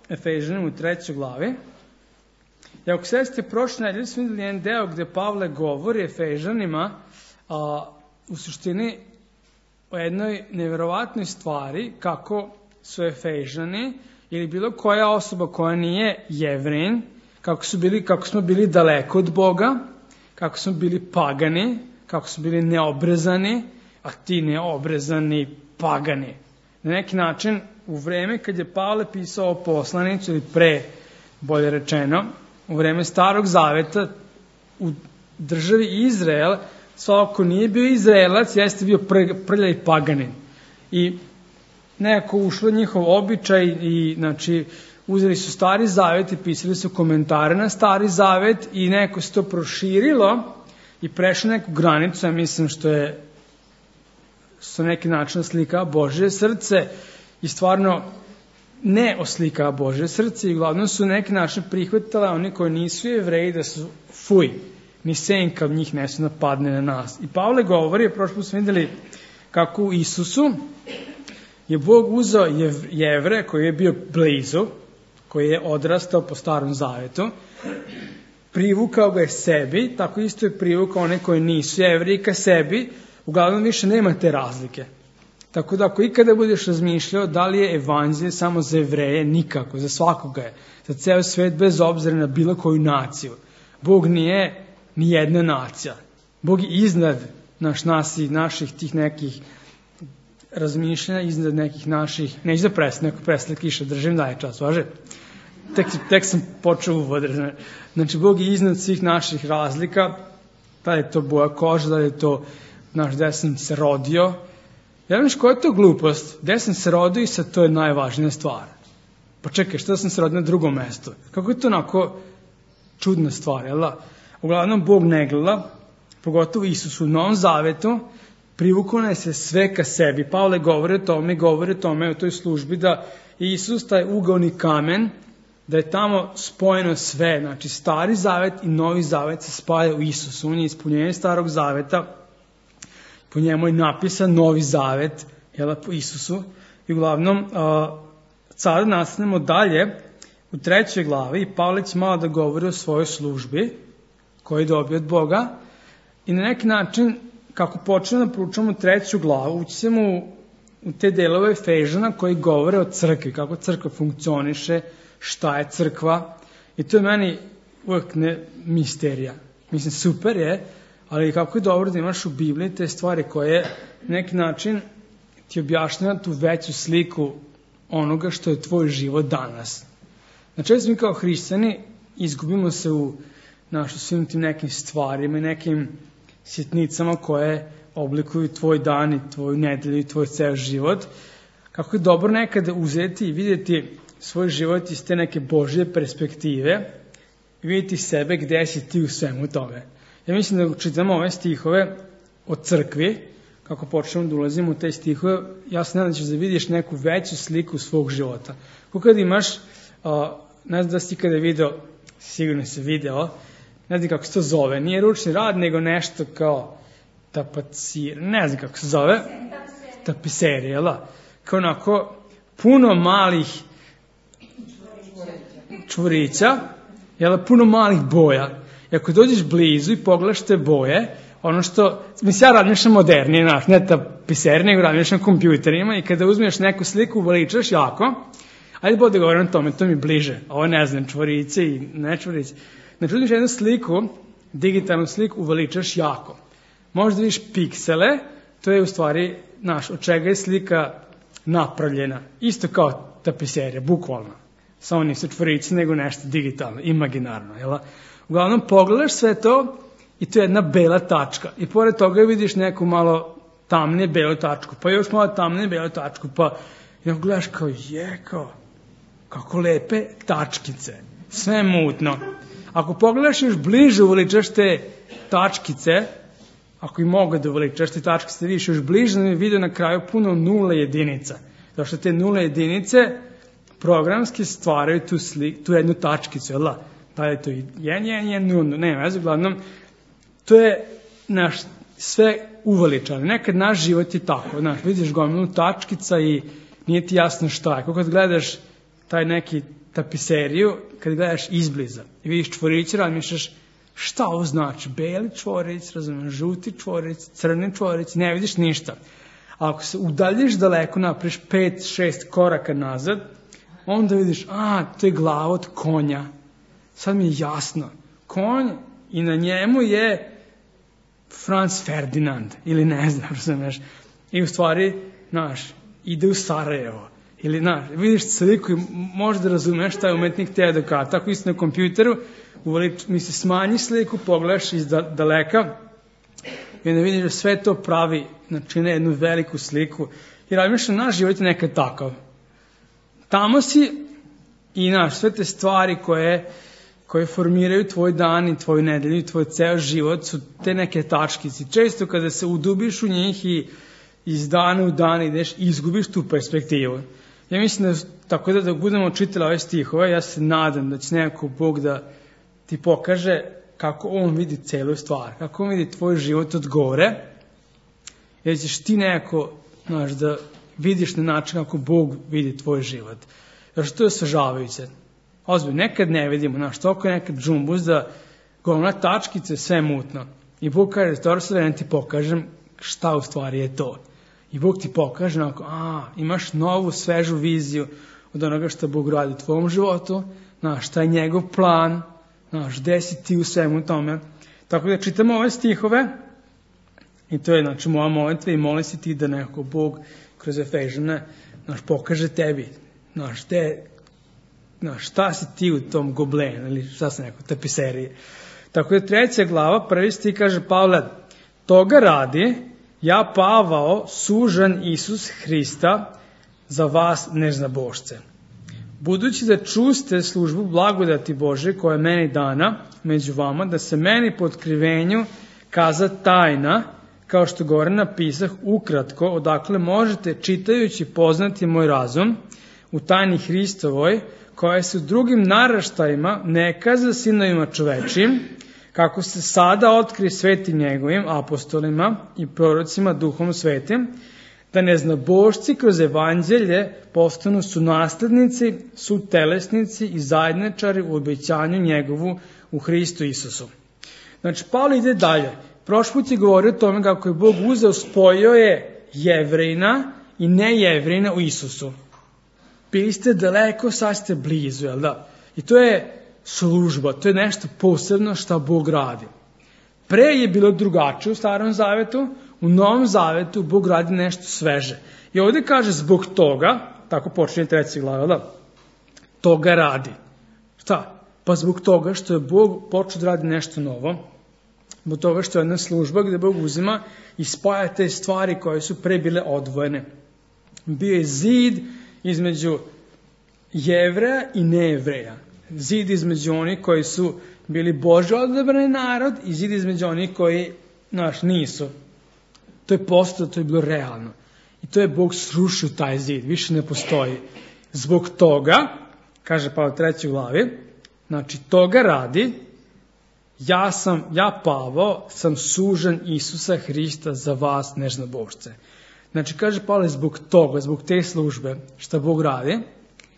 Efežanima u 3. glavi. I ako sećate, prošle nedelje smo vidjeli jedan deo gde Pavle govori Efežanima u suštini o jednoj neverovatnoj stvari kako su Efežani ili bilo koja osoba koja nije Jevrin, kako smo bili daleko od Boga, kako smo bili pagani, kako smo bili neobrezani, a ti neobrezani pagani. Na neki način, u vreme kad je Pavle pisao poslanicu, ili pre, bolje rečeno, u vreme Starog Zaveta, u državi Izrael, svako nije bio Izraelac, jeste bio prljav paganin. I nekako ušlo njihov običaj i, znači, uzeli su Stari Zavet i pisali su komentare na Stari Zavet i nekako se to proširilo i prešlo neku granicu, ja mislim što je sa neki način oslika Božje srce i stvarno ne oslika Božje srce i uglavnom su neki način prihvatali oni koji nisu Jevreji da su fuj, ni senka od njih ne su napadne na nas. I Pavle govori, prošli put smo vidjeli kako u Isusu je Bog uzeo Jevre koji je bio blizu, koji je odrastao po Starom Zavetu, privukao ga je sebi, tako isto je privukao one koji nisu Jevreji ka sebi, uglavnom više nema te razlike. Tako da ako ikada budeš razmišljao da li je evanđelje samo za Jevreje, nikako, za svakoga je, za ceo svet bez obzira na bilo koju naciju. Bog nije ni jedna nacija. Bog je iznad naših tih nekih razmišljanja, iznad nekih naših, neću da presle kiša, držim daje čas, važe? Tek sam počeo uvod. Znači, Bog je iznad svih naših razlika, da je to boja koža, da je to gde sam se rodio. Ja viš, koja je to glupost? Gde sam se rodio i sad to je najvažnija stvar. Pa čekaj, što sam se rodio na drugom mestu? Kako je to onako čudna stvar, jel da? Uglavnom, Bog ne gleda, pogotovo Isus u Novom Zavetu, privukao nas je sve ka sebi. Pavle govori o tome u toj službi da Isus, taj ugaoni kamen, da je tamo spojeno sve, znači Stari Zavet i Novi Zavet se spaja u Isusu. On je ispunjenje Starog Zaveta, po njemu je napisan Novi Zavet, jel, po Isusu. I uglavnom, sada nastavljamo dalje u 3. glavi i Pavle će malo da govori o svojoj službi koju je dobio od Boga i na neki način, kako počnemo da proučavamo 3. glavu, ući ćemo u te delove Efežana koji govore o crkvi, kako crkva funkcioniše, šta je crkva. I to je meni uvek misterija. Mislim, super je, ali kako je dobro da imaš u Bibliji te stvari koje na neki način ti objašnjava tu veću sliku onoga što je tvoj život danas. Znači, mi kao hrišćani izgubimo se u svim tim nekim stvarima i nekim sitnicama koje oblikuju tvoj dan i tvoju nedelju i tvoj ceo život. Kako je dobro nekada uzeti i vidjeti svoj život iz te neke Božje perspektive i vidjeti sebe gde si ti u svemu tome. Ja mislim da čitamo ove stihove o crkvi, kako počnemo da ulazimo u te stihove, ja se nadam da ćeš da vidiš neku veću sliku svog života. Kako kada imaš, ne znam da si kada video, sigurno si video, ne znam kako se to zove, nije ručni rad, nego nešto kao tapacir, ne znam kako se zove, tapiserija, jel da? Kao onako puno malih čvorića, jel da, puno malih boja. I ako dođeš blizu i pogledaš te boje, ono što, mislim, ja razmišljam modernije, ne tapiserije, nego razmišljam kompjuterima i kada uzmeš neku sliku, uveličaš jako, ajde bolje da govorim o tome, to mi bliže, ovo ne znam, čvorice i ne čvorice. Znači, uzmeš jednu sliku, digitalnu sliku, uveličaš jako. Možda vidiš piksele, to je u stvari, od čega je slika napravljena. Isto kao tapiserija, bukvalno. Samo nisu čvorice, nego nešto digitalno, imaginarno, jel? Uglavnom, pogledaš sve to i to je jedna bela tačka. I pored toga vidiš neku malo tamnije belu tačku, pa još malo tamnije belu tačku, pa gledaš kao, kako lepe tačkice. Sve je mutno. Ako pogledaš još bliže, uveličaš te tačkice, ako i mogu da uveličaš te tačkice, vidiš još bliže, ne vidio na kraju puno nula jedinica. Zato što te nula jedinice programski stvaraju tu jednu tačkicu, jel da? Da je to 1, 0, ne veze, uglavnom, to je sve uveličano. Nekad naš život je tako, vidiš gomilu tačkica i nije ti jasno šta je. Kako kad gledaš taj neki tapiseriju, kad gledaš izbliza i vidiš čvoriće, razmišljaš šta ovo znači, beli čvorić, razumiješ, žuti čvorić, crni čvorić, ne vidiš ništa. A ako se udaljiš daleko, napraviš 5-6 koraka nazad, onda vidiš, to je glava od konja. Sad mi je jasno. Konj i na njemu je Franz Ferdinand, ili ne znam, razumiješ. I u stvari, ide u Sarajevo. Ili, vidiš sliku i možda razumeš šta je umetnik teo da kaže. Tako isto na kompjuteru, smanji sliku, pogledaš iz daleka i onda vidiš da sve to pravi, čine jednu veliku sliku. I razmišljam, naš život je nekad takav. Tamo si i sve te stvari koje formiraju tvoj dan i tvoju nedelju i tvoj ceo život su te neke tačkice. Često kada se udubiš u njih i iz dana u dan ideš, izgubiš tu perspektivu. Ja mislim tako da budemo čitali ove stihove, ja se nadam da će nekako Bog da ti pokaže kako on vidi celu stvar, kako on vidi tvoj život od gore, jer ćeš ti nekako, da vidiš na način kako Bog vidi tvoj život. Jer što je osvežavajuće. Ozbiljno, nekad ne vidimo, toliko je nekad džumbuz da govna tačkice, sve mutno. I Bog kaže, dobro sad da ti pokažem šta u stvari je to. I Bog ti pokaže, imaš novu, svežu viziju od onoga što Bog radi u tvojom životu, šta je njegov plan, gde si ti u svemu tome. Tako da čitamo ove stihove i to je moja molitva i molim se ti da nekako Bog kroz Efežane pokaže tebi šta si ti u tom goblenu ili šta se neko tapiserije. Tako da 3. glava, 1. stih kaže Pavle, toga radi ja Pavao, sužan Isus Hrista, za vas neznabošce. Budući da čuste službu blagodati Bože koja je meni dana među vama, da se meni po otkrivenju kaza tajna, kao što gore napisah ukratko, odakle možete čitajući poznati moj razum u tajni Hristovoj, koja se u drugim naraštajima ne kaza sinovima čovečim, kako se sada otkri svetim njegovim apostolima i prorocima duhom svetim, da neznabošci kroz evanđelje postanu su naslednici, su telesnici i zajedničari u obećanju njegovu u Hristu Isusu. Znači, Pavle ide dalje. Prošli put je govorio o tome kako je Bog uzeo, spojio je Jevrejina i nejevrejina u Isusu. Bili ste daleko, sad ste blizu, jel da? I to je služba, to je nešto posebno što Bog radi. Pre je bilo drugačije u Starom Zavetu, u Novom Zavetu Bog radi nešto sveže. I ovdje kaže zbog toga, tako počinje 3. glava, da? Toga radi. Šta? Pa zbog toga što je Bog počeo da radi nešto novo, zbog toga što je jedna služba gdje Bog uzima i spaja te stvari koje su pre bile odvojene. Bio je zid između Jevreja i nejevreja. Zid između onih koji su bili Božji odabrani narod i zid između onih koji nisu. To je postalo, to je bilo realno. I to je Bog srušio taj zid, više ne postoji. Zbog toga, kaže Pavle u 3. glavi, znači toga radi, ja Pavao sam sužan Isusa Hrista za vas neznabošce. Znači kaže Pavle zbog toga, zbog te službe što Bog radi,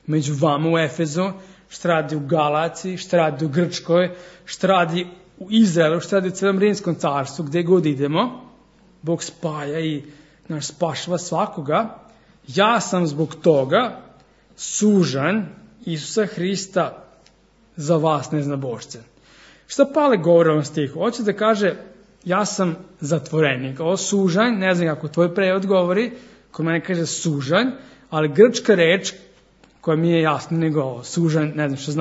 među vama u Efezu, što radi u Galaciji, što radi u Grčkoj, što radi u Izraelu, što radi u celom Rimskom carstvu, gdje god idemo, Bog spaja i spašava svakoga. Ja sam zbog toga sužan Isusa Hrista za vas neznabošce. Šta Pavle govori o ovom stihu? Hoće da kaže ja sam zatvorenik. Ovo sužanj, ne znam kako tvoj prevod govori, kod mene kaže sužanj, ali grčka reč koja mi je jasna nego ovo, sužanj, ne znam što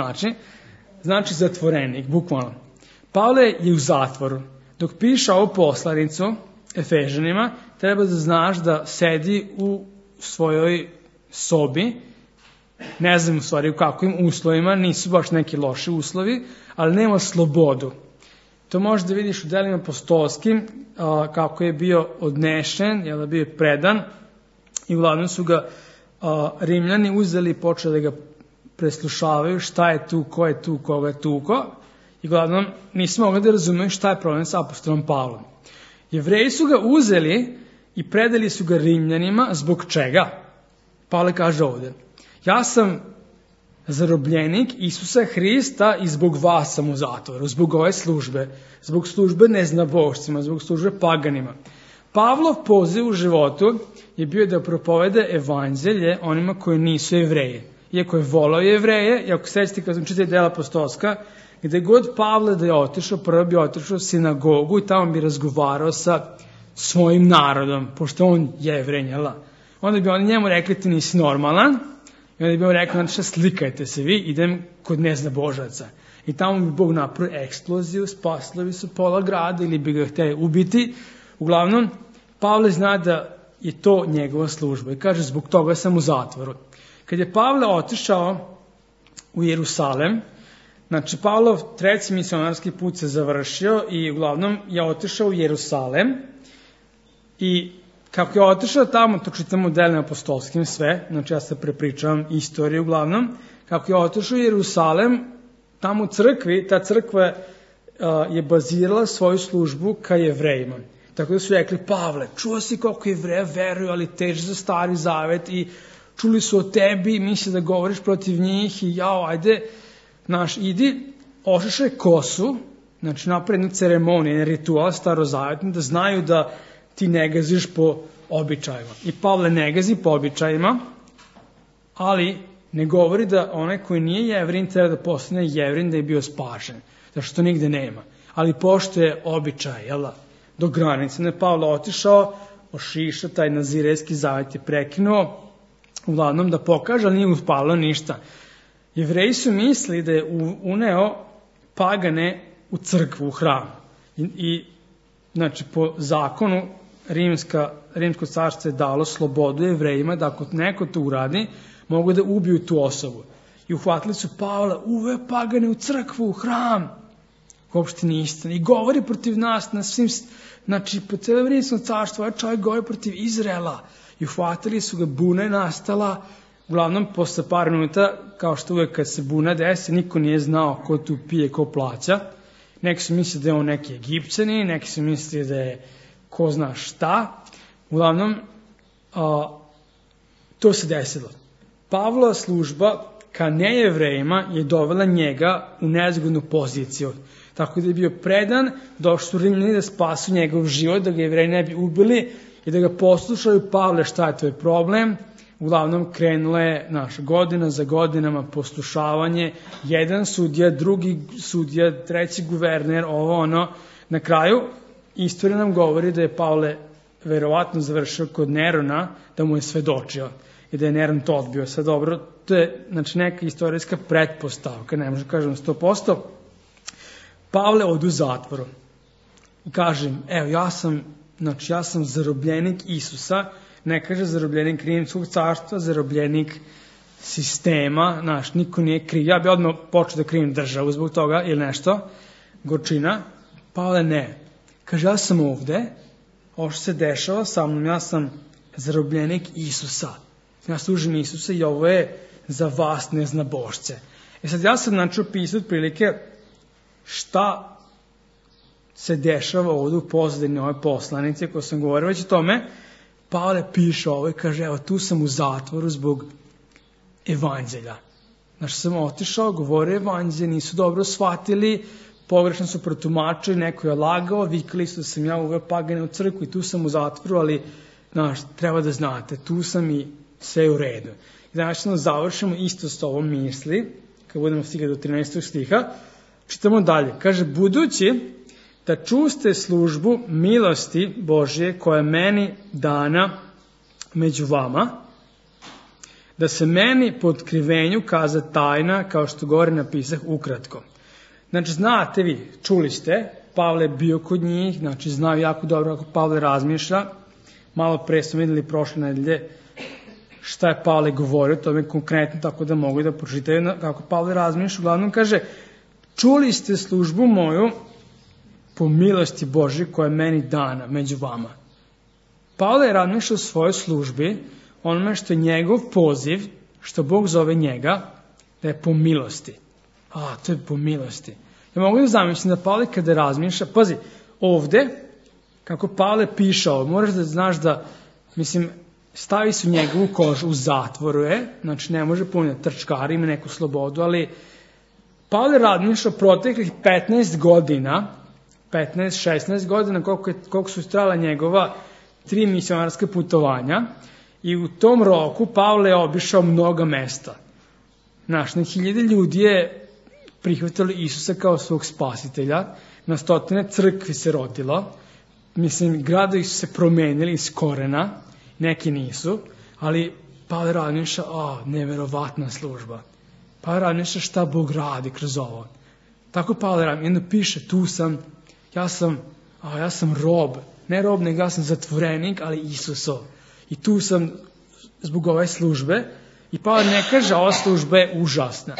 znači zatvorenik, bukvalno. Pavle je u zatvoru. Dok piše ovu poslanicu Efežanima, treba da znaš da sedi u svojoj sobi, ne znam u stvari u kakvim uslovima, nisu baš neki loši uslovi, ali nema slobodu. To možeš da vidiš u delima apostolskim, kako je bio odnešen, je bio predan i uglavnom su ga Rimljani uzeli i počeli da ga preslušavaju šta je tu, ko je tu, koga je tuko i uglavnom nisu mogli da razumeju šta je problem sa apostolom Pavlom. Jevreji su ga uzeli i predali su ga Rimljanima, zbog čega? Pavle kaže ovdje, ja sam zarobljenik Isusa Hrista i zbog vas sam u zatvoru, zbog ove službe, zbog službe neznabošcima, zbog službe paganima. Pavlov poziv u životu je bio da propovede evanđelje onima koji nisu Jevreji. Iako je volao Jevreje, i ako sećate kad sam čitao dela apostolska, gde god Pavle da je otišao, prvo bi otišao u sinagogu i tamo bi razgovarao sa svojim narodom, pošto on je Jevrej, onda bi oni njemu rekli ti nisi normalan, i onda bi on rekao, znači slikajte se vi, idem kod neznabožaca. I tamo bi Bog napravio eksploziju, spasili su pola grada ili bi ga hteli ubiti. Uglavnom, Pavle zna da je to njegova služba i kaže, zbog toga sam u zatvoru. Kad je Pavle otišao u Jerusalem, znači Pavlov treći misionarski put se završio i uglavnom je otišao u Jerusalem i kako je otišao tamo, to čitamo u delima apostolskim sve, znači ja se prepričavam istoriju uglavnom, kako je otišao u Jerusalem, tamo u crkvi, ta crkva je bazirala svoju službu ka Jevrejima. Tako da su rekli, Pavle, čuo si koliko Jevreja veruju, ali teže za Stari Zavet i čuli su o tebi i misle da govoriš protiv njih i jao, ajde, idi, ošišaj kosu, znači napravi jednu ceremoniju, jedan ritual starozavetni, da znaju da ti ne gaziš po običajima. I Pavle ne gazi po običajima, ali ne govori da onaj koji nije Jevrin treba da postane Jevrin da je bio spašen, zašto to nigde nema. Ali pošto je običaj, do granice, ne Pavle otišao, ošišao, taj nazirejski zavet je prekinuo, uglavnom da pokaže, ali nije uspalo ništa. Jevreji su mislili da je uneo pagane u crkvu, u hram. I znači, po zakonu Rimsko carstvo je dalo slobodu Jevrejima da ako neko to uradi, mogu da ubiju tu osobu. I uhvatili su Pavla, uveo pagane u crkvu, u hram. Uopšte nije istina. I govori protiv nas na svim, znači po celom Rimskom carstvu, ovaj čovjek govori protiv Izraela. I uhvatili su ga, buna je nastala. Uglavnom, posle par minuta, kao što uvek kad se buna desi, niko nije znao ko tu pije, ko plaća. Neki su mislili da je on neki Egipćani, neki su mislili da je ko zna šta. Uglavnom, to se desilo. Pavlova služba ka nejevrejima je dovela njega u nezgodnu poziciju. Tako da je bio predan, došli su Rimljani da spasu njegov život, da ga Jevreji ne bi ubili i da ga poslušaju, Pavle, šta je tvoj problem? Uglavnom krenula je godina za godinama poslušavanje, jedan sudija, drugi sudija, treći guverner, Na kraju, istorija nam govori da je Pavle verovatno završio kod Nerona, da mu je svedočio i da je Neron to odbio. Sad dobro, to je neka istorijska pretpostavka, ne možemo kažem 100%. Pavle ode u zatvoru i kaže, evo ja sam zarobljenik Isusa, ne kaže zarobljenik Rimskog carstva, zarobljenik sistema, niko nije kriv. Ja bi odmah počeo da krivim državu zbog toga ili nešto, gorčina. Pavle ne. Kaže, ja sam ovde, ovo što se dešava sa mnom, ja sam zarobljenik Isusa. Ja služim Isusa i ovo je za vas neznabošce. Sad ja sam opisao otprilike šta se dešava ovde u pozadini ove poslanice koje sam govorio već o tome. Pavle piše ovo i kaže, evo tu sam u zatvoru zbog evanđelja. Sam otišao, govorio evanđelje, nisu dobro shvatili, pogrešno su protumačili, neko je lagao, vikali su da sam ja uveo pagane u crkvu i tu sam u zatvoru, ali treba da znate, tu sam i sve je u redu. I danas završimo isto s ovom misli, kad budemo stigli do 13. stiha, čitamo dalje. Kaže, budući da čuste službu milosti Božje koja je meni dana među vama, da se meni po otkrivenju kaza tajna, kao što govori napisah ukratko. Znači, znate vi, čuli ste, Pavle je bio kod njih, znači znaju jako dobro kako Pavle razmišlja. Malo pre smo videli prošle nedelje šta je Pavle govorio, to je konkretno, tako da mogu da pročitaju kako Pavle razmišlja. Uglavnom kaže, čuli ste službu moju po milosti Božje koja je meni dana među vama. Pavle je razmišljao o svojoj službi, onome što je njegov poziv, što Bog zove njega, da je po milosti. To je po milosti. Ja mogu da zamislim da Pavle kada razmišlja, pazi, ovde, kako Pavle piše ovo, moraš da znaš da, stavi su njegovu kožu, u zatvoru je, znači ne može puno trčkari, ima neku slobodu, ali Pavle razmišlja proteklih 15 godina, 15-16 godina, koliko su trajala njegova 3 misionarska putovanja, i u tom roku Pavle je obišao mnoga mesta. Znaš, na 1000 ljudi je prihvatilo Isusa kao svog spasitelja, na 100 crkvi se rodilo, mislim, gradovi su se promenili iz korena, neki nisu, ali Pavle razmišlja, neverovatna služba. Pavle razmišlja šta Bog radi kroz ovo. Tako Pavle razmišlja, jedno piše, tu sam, ja sam rob, ne rob, nego ja sam zatvorenik, ali Isusov. I tu sam zbog ove službe, i Pavle ne kaže, ova služba je užasna.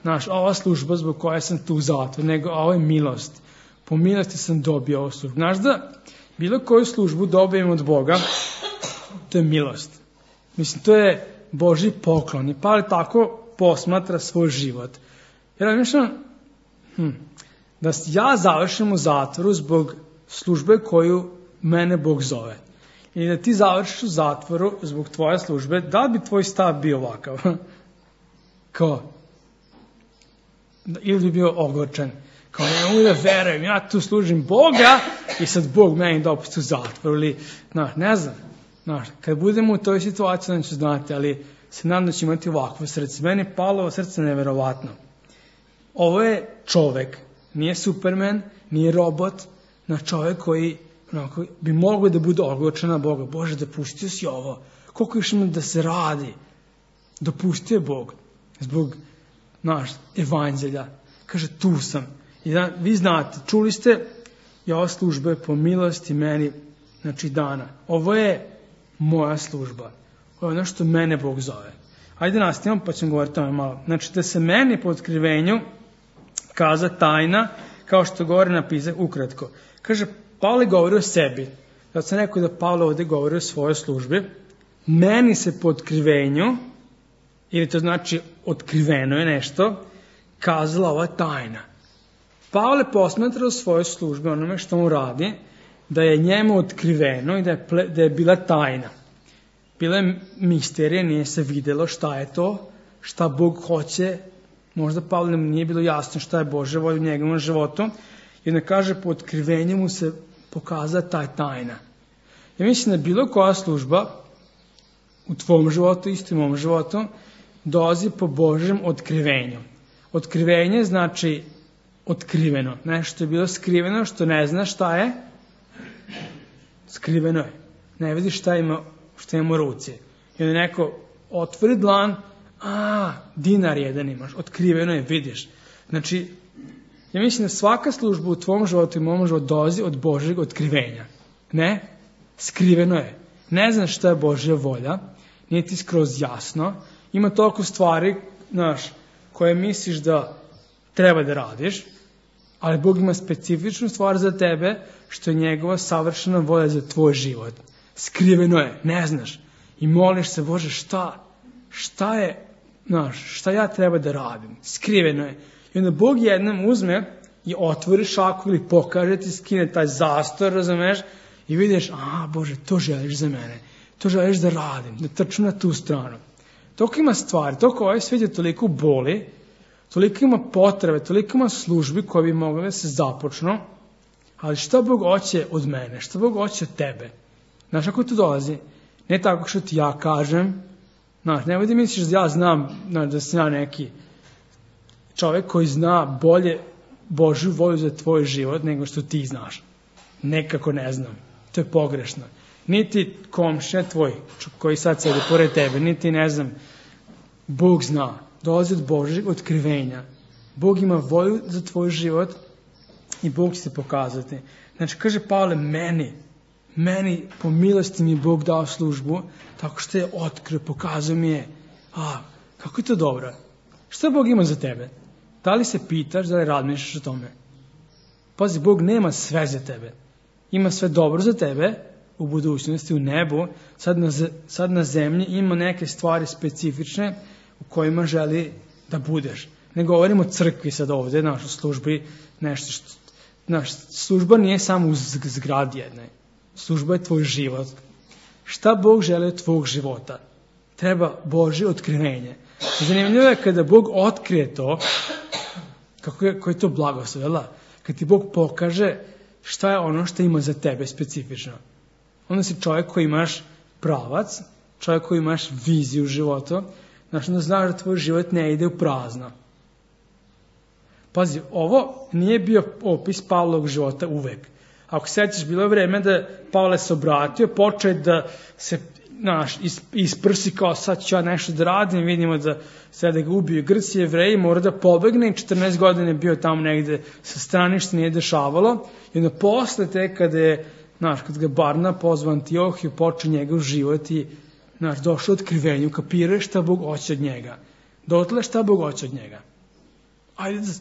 Znaš, ova služba zbog koje sam tu u zatvoru, nego ovo je milost. Po milosti sam dobio ovu službu. Znaš da bilo koju službu dobijem od Boga, to je milost. Mislim, to je Božji poklon. I Pavle tako posmatra svoj život. Jer ja mislim da ja završim u zatvoru zbog službe koju mene Bog zove. I da ti završiš u zatvoru zbog tvoje službe, da li bi tvoj stav bio ovakav? Kao? Ili bi bio ogorčan? Kao, ne mogu da verujem, ja tu služim Boga i sad Bog meni dopusti u zatvoru. Ili, ne znam. Kad budemo u toj situaciji, onda ću znati, ali se nadam da će imati ovakvo srce. Meni je Pavlovo srce neverovatno. Ovo je čovek, nije Superman, nije robot, čovek koji bi mogao da bude ogorčan na Boga. Bože, dopustio si ovo. Koliko još ima da se radi? Dopustio je Bog. Zbog evanđelja. Kaže, tu sam. I vi znate, čuli ste, i ova služba je po milosti meni, dana. Ovo je moja služba. Ovo je ono što mene Bog zove. Ajde nastavimo, pa ćemo govoriti o tome malo. Znači, da se meni po otkrivenju kaza tajna, kao što govori napisak ukratko. Kaže, Pavle govori o sebi. Zato sam rekao da Pavle ovdje govori o svojoj službi. Meni se po otkrivenju, ili to znači otkriveno je nešto, kazala ova tajna. Pavle posmatra u svojoj službi onome što mu radi, da je njemu otkriveno i da je bila tajna. Bila je misterija, nije se vidjelo šta je to, šta Bog hoće. Možda Pavle nije bilo jasno šta je Božja volja u njegovom životu. I onda kaže, po otkrivenju mu se pokaza ta tajna. Ja mislim da bilo koja služba u tvom životu, isto i mom životu, dolazi po Božjem otkrivenju. Otkrivenje znači otkriveno. Nešto je bilo skriveno, što ne znaš šta je. Skriveno je. Ne vidiš šta ima u ruci. I onda neko otvori dlan, dinar jedan imaš, otkriveno je, vidiš. Znači, ja mislim da svaka služba u tvom životu i mom životu dolazi od Božjeg otkrivenja. Ne? Skriveno je. Ne znaš šta je Božja volja, nije ti skroz jasno. Ima toliko stvari, koje misliš da treba da radiš, ali Bog ima specifičnu stvar za tebe, što je njegova savršena volja za tvoj život. Skriveno je, ne znaš. I moliš se, Bože, šta je, šta ja treba da radim? Skriveno je. I onda Bog jednom uzme i otvori šaku ili pokaže ti, skine taj zastor, razumeš, i vidiš, Bože, to želiš za mene. To želiš da radim, da trčim na tu stranu. Toliko ima stvari, toliko ovaj svijet je toliko boli, toliko ima potrebe, toliko ima službi koje bi mogle da se započnu, ali šta Bog hoće od mene, šta Bog hoće od tebe? Znaš, kako to dolazi? Ne tako što ti ja kažem, nemoj da misliš da ja znam, da sam ja neki čovjek koji zna bolje Božju volju za tvoj život nego što ti znaš. Nekako ne znam. To je pogrešno. Niti komšija tvoj koji sad sedi pored tebe, niti ne znam, Bog zna. Dolazi od Božjeg otkrivenja. Bog ima volju za tvoj život i Bog će se pokazati. Znači, kaže Pavle, meni po milosti mi Bog dao službu, tako što je otkrio, pokazao mi je. Kako je to dobro? Šta Bog ima za tebe? Da li se pitaš, da li razmišljaš o tome? Pazi, Bog nema sve za tebe. Ima sve dobro za tebe, u budućnosti, u nebu. Sad na zemlji ima neke stvari specifične u kojima želi da budeš. Ne govorimo o crkvi sad ovdje, našoj službi, nešto što... Služba nije samo u zgradi jednoj. Služba je tvoj život. Šta Bog želi od tvog života? Treba Božje otkrivenje. Zanimljivo je kada Bog otkrije to, kako je to blagoslov, jel da? Kad ti Bog pokaže šta je ono što ima za tebe specifično. Onda si čovjek koji imaš pravac, čovjek koji imaš viziju u životu, znači onda znaš da tvoj život ne ide u prazno. Pazi, ovo nije bio opis Pavlovog života uvek. Ako se sjećaš, bilo je vreme da Pavle se obratio, počeo da se isprsi kao sad ću ja nešto da radim, vidimo da sada ga ubiju Grci, Jevreji, mora da pobegne i 14 godina je bio tamo negde sa strane što nije dešavalo i onda posle te kada ga Barna pozvan Antiohiju, počeo njegov život i došao otkrivenju, kapirao šta Bog hoće od njega. Dotle šta Bog hoće od njega. Ajde da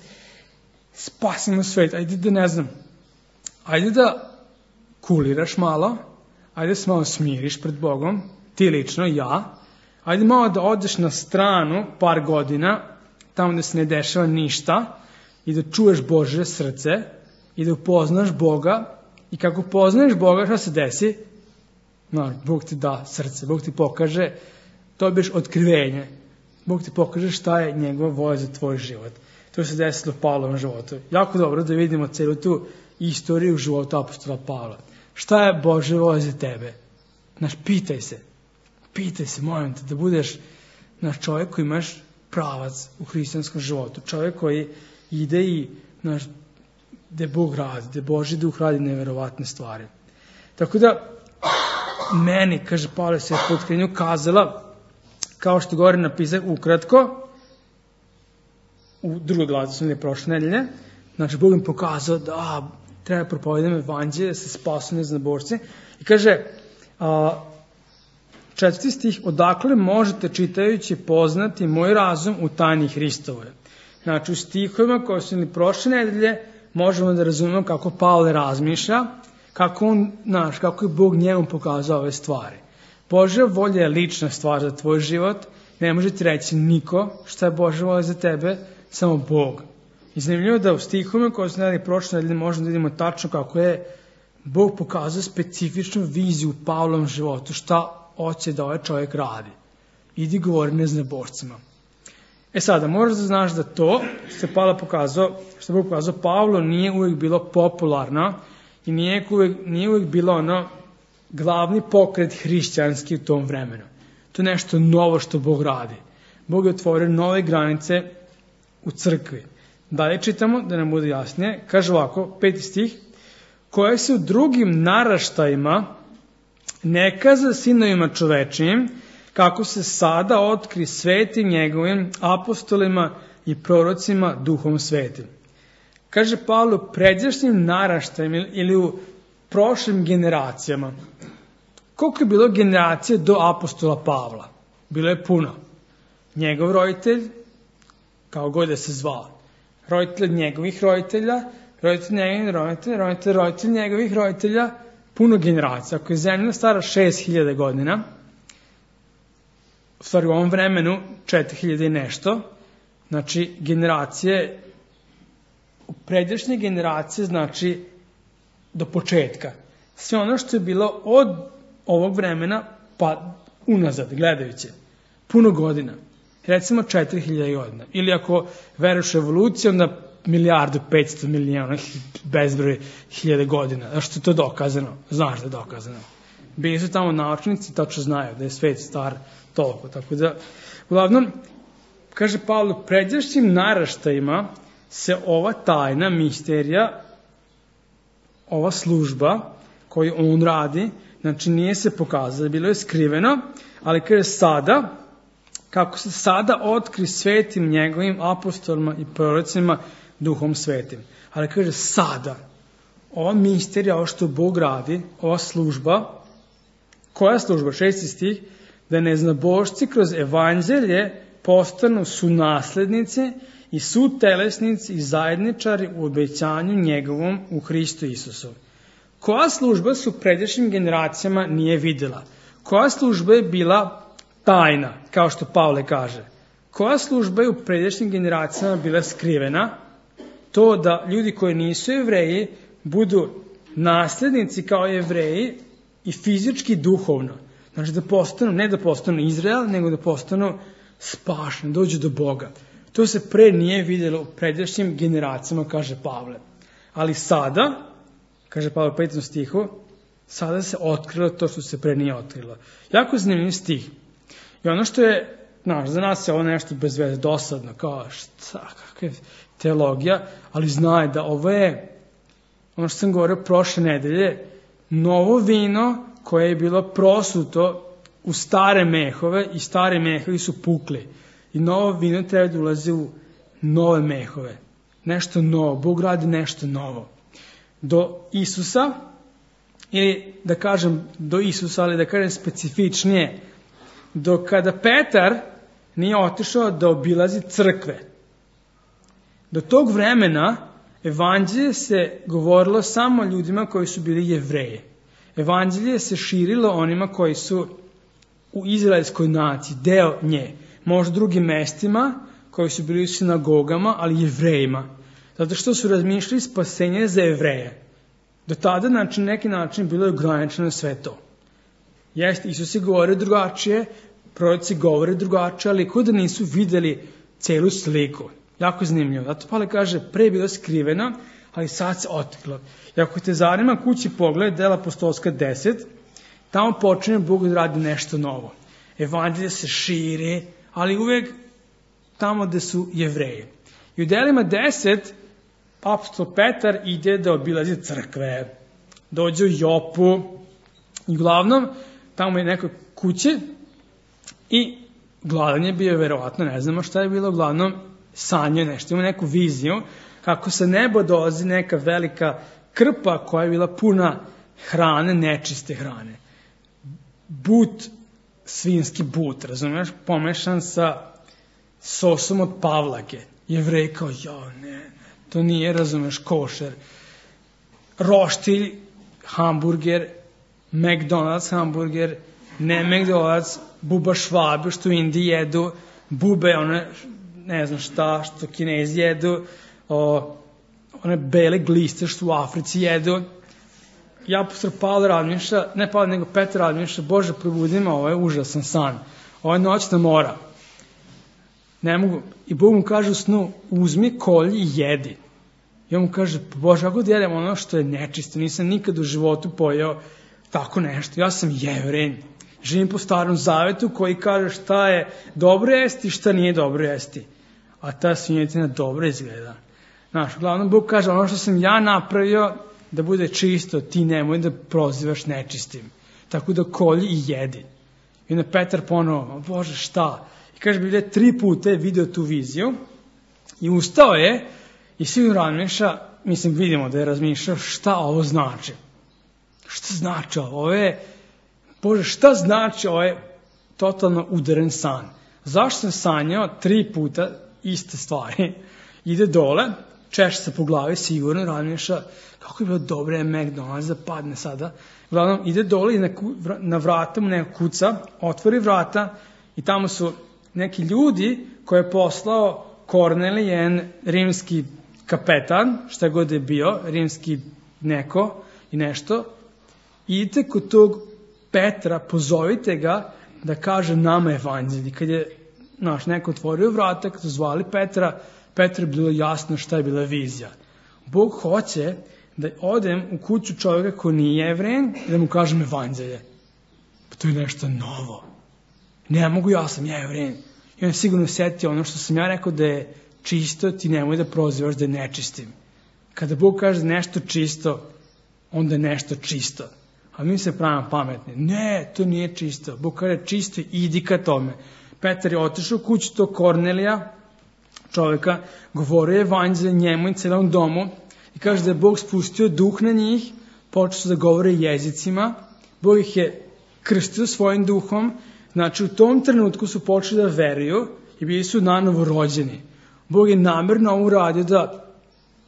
spasimo svet, ajde da ne znam, ajde da kuliraš malo, ajde da se malo smiriš pred Bogom, ti lično, ja, ajde malo da odeš na stranu par godina, tamo gde se ne dešava ništa, i da čuješ Božje srce, i da upoznaš Boga, i kako poznaješ Boga, šta se desi? Bog ti da srce, Bog ti pokaže, dobiješ otkrivenje, Bog ti pokaže šta je njegova volja za tvoj život. To se desilo u Pavlovom životu. Jako dobro da vidimo celu tu istoriju života apostola Pavla. Šta je Božja volja za tebe? Pitaj se, molim te, da budeš čovjek koji imaš pravac u hristijanskom životu. Čovjek koji ide i gde Bog radi, gde Božji duh radi neverovatne stvari. Tako da, meni, kaže Pavle, se je po otkrivenju kazala, kao što gore napisao ukratko, u drugoj glavi su prošle nedelje, Bog im pokazao da treba propovedati evanđelje, da se spasu neznabošci. I kaže, 4. stih, odakle možete čitajući poznati moj razum u tajni Hristovoj. U stihovima koje su prošle nedelje možemo da razumemo kako Pavle razmišlja, kako je Bog njemu pokazao ove stvari. Božja volja je lična stvar za tvoj život, ne može ti reći niko šta je Božja volja za tebe, samo Bog. I zanimljivo da u stihovima koje su prošle nedelje možemo da vidimo tačno kako je Bog pokazao specifičnu viziju u Pavlovom životu, šta hoće da ovaj čovjek radi. Idi govori neznabošcima. Sada, moraš da znaš da to što je Bog pokazao Pavlu nije uvijek bilo popularno i nije uvijek bilo glavni pokret hrišćanski u tom vremenu. To je nešto novo što Bog radi. Bog je otvorio nove granice u crkvi. Dalje čitamo, da nam bude jasnije, kaže ovako, 5. stih, koje se u drugim naraštajima ne kaza sinovima čovečijim, kako se sada otkri svetim njegovim apostolima i prorocima duhom svetim. Kaže Pavle, u pređašnjim naraštajima ili u prošlim generacijama. Koliko je bilo generacije do apostola Pavla? Bilo je puno. Njegov roditelj, kao god da se zvao, roditelj njegovih roditelja, roditelj njegovih roditelja, roditelj njegovih roditelja, puno generacija. Ako je zemlja stara 6000 godina, u stvari u ovom vremenu 4000 i nešto, znači generacije, u pređašnje generacije znači do početka. Sve ono što je bilo od ovog vremena pa unazad, gledajući, puno godina. Recimo 4000 godina. Ili ako veruješ u evoluciju, onda 1.500.000.000, bezbroj hiljade godina. Zašto je to dokazano? Znaš da je dokazano. Bili su tamo naučnici, tačno znaju da je svet star toliko. Tako da, uglavnom, kaže Pavle, u pređašnjim naraštajima se ova tajna, misterija, ova služba koju on radi, znači nije se pokazala, bilo je skriveno, ali kaže sada, kako se sada otkri svetim njegovim apostolima i prorocima duhom svetim. Ali kaže sada, ova misterija, ovo što Bog radi, ova služba, koja služba? 6. stih, da neznabošci kroz evanđelje postanu sunaslednici i sutelesnici i zajedničari u obećanju njegovom u Hristu Isusu. Koja služba su pređašnjim generacijama nije vidjela? Koja služba je bila tajna, kao što Pavle kaže? Koja služba je u pređašnjim generacijama bila skrivena? To da ljudi koji nisu Jevreji budu nasljednici kao Jevreji i fizički duhovno. Znači da postanu, ne da postanu Izrael, nego da postanu spašeni, dođu do Boga. To se pre nije vidjelo u pređašnjim generacijama, kaže Pavle. Ali sada, kaže Pavle u 5. stihu, sada se otkrilo to što se pre nije otkrilo. Jako zanimljiv stih. I ono što je, za nas je ovo nešto bez veze, dosadno, kao šta, kakva je teologija, ali znaj da ovo je, ono što sam govorio prošle nedelje, novo vino koje je bilo prosuto u stare mehove i stare mehovi su pukli. I novo vino treba da ulazi u nove mehove. Nešto novo. Bog radi nešto novo. Do Isusa, ili da kažem do Isusa, ali da kažem specifičnije, do kada Petar nije otišao da obilazi crkve. Do tog vremena evanđelje se govorilo samo ljudima koji su bili Jevreji. Evanđelje se širilo onima koji su u izraelskoj naciji, deo nje. Možda drugim mestima koji su bili u sinagogama, ali Jevrejima. Zato što su razmišljali spasenje za Jevreje. Do tada, na neki način, bilo je ograničeno sve to. Jeste, Isus je govorio drugačije, proroci govore drugačije, ali kao da nisu videli celu sliku. Jako zanimljivo. Zato Pavle kaže, pre je bilo skriveno, ali sad se otkrilo. I ako te zanima kući pogled, Dela apostolska 10, tamo počinje Bog da radi nešto novo. Evanđelje se širi, ali uvek tamo gde su Jevreji. I u Delima 10, apostol Petar ide da obilazi crkve. Dođe u Jopu i uglavnom tamo je nekoj kući i gladan je bio, verovatno, ne znamo šta je bilo, uglavnom sanjao nešto, ima neku viziju kako sa neba dolazi neka velika krpa koja je bila puna hrane, nečiste hrane. But, svinski but, razumiješ, pomešan sa sosom od pavlake. Jevrej kao, ne, to nije, razumiješ, košer. Roštilj, hamburger, McDonald's hamburger, ne McDonald's, buba švabe što u Indiji jedu, bube, one, ne znam šta, što Kinezi jedu, one bele gliste što u Africi jedu. Ja apostol Pavle razmišlja, ne Pavle nego Petar razmišlja, Bože probudi me, ovo je užasan san, ovo je noćna mora. Ne mogu. I Bog mu kaže u snu, uzmi kolj i jedi. I on mu kaže, Bože, ako da jedem ono što je nečisto, nisam nikad u životu pojeo tako nešto. Ja sam Jevrej, živim po starom zavetu koji kaže šta je dobro jesti i šta nije dobro jesti. A ta svinjetina dobro izgleda. Znaš, uglavnom Bog kaže, ono što sam ja napravio da bude čisto, ti nemoj da prozivaš nečistim. Tako da kolji i jedi. I onda Petar ponovo, Bože, šta? I kaže, Biblija 3 puta je video tu viziju i ustao je i sigurno razmišlja, mislim, vidimo da je razmišljao šta ovo znači. Šta znači ovo? Bože, šta znači ovo je totalno udaren san? Zašto sam sanjao 3 puta iste stvari? Ide dole, češe se po glavi, sigurno razmišlja kako je bilo dobro je McDonald's da padne sada. Uglavnom, ide dole i na vrata mu neko kuca, otvori vrata i tamo su neki ljudi koje je poslao Kornelijen, rimski kapetan, šta god je bio, rimski neko i nešto. Idite kod tog Petra, pozovite ga da kaže nama evanđelje. Kad je neko otvorio vrata, kad su zvali Petra, Petra je bilo jasno šta je bila vizija. Bog hoće da odem u kuću čovjeka ko nije Jevrejan i da mu kažem evanđelje. Pa to je nešto novo. Ne mogu, ja sam Jevrejan. I on sigurno setio ono što sam ja rekao da je čisto, ti nemoj da prozivaš da je nečistim. Kada Bog kaže da nešto čisto, onda je nešto čisto. A mi se pravimo pametni. Ne, to nije čisto. Bog kaže čisto, idi ka tome. Petar je otišao u kuću tog Kornelija, čovjeka, govorio je evanđelje njemu i celom domu i kaže da je Bog spustio duh na njih, počeo su da govore jezicima, Bog ih je krstio svojim duhom, znači u tom trenutku su počeli da veruju i bili su nanovo rođeni. Bog je namerno uradio da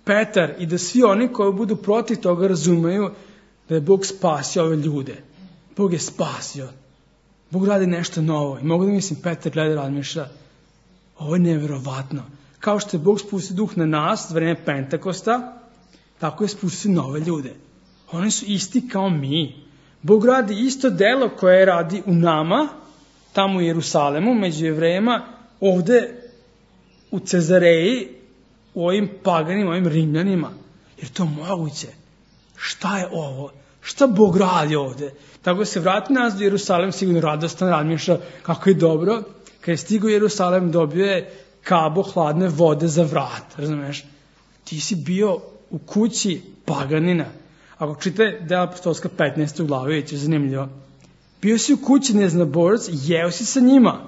Petar i da svi oni koji budu protiv toga razumeju da je Bog spasio ove ljude. Bog je spasio. Bog radi nešto novo. I mogu da mislim, Petar gleda i razmišlja, ovo je neverovatno. Kao što je Bog spustio duh na nas, za vreme Pentakosta, tako je spustio nove ljude. Oni su isti kao mi. Bog radi isto delo koje radi u nama, tamo u Jerusalemu, među Jevrejima, ovde u Cezareji, u ovim paganima, ovim Rimljanima. Jer to moguće. Šta je ovo? Šta Bog radi ovde? Tako da se vrati nas do Jerusalem, sigurno radostan razmišlja kako je dobro. Kad je stigao u Jerusalem, dobio je kabo hladne vode za vrat. Razumeš? Ti si bio u kući paganina. Ako čitate Dela apostolska 15. glavu, je zanimljivo. Bio si u kući neznaborac, jeo si sa njima.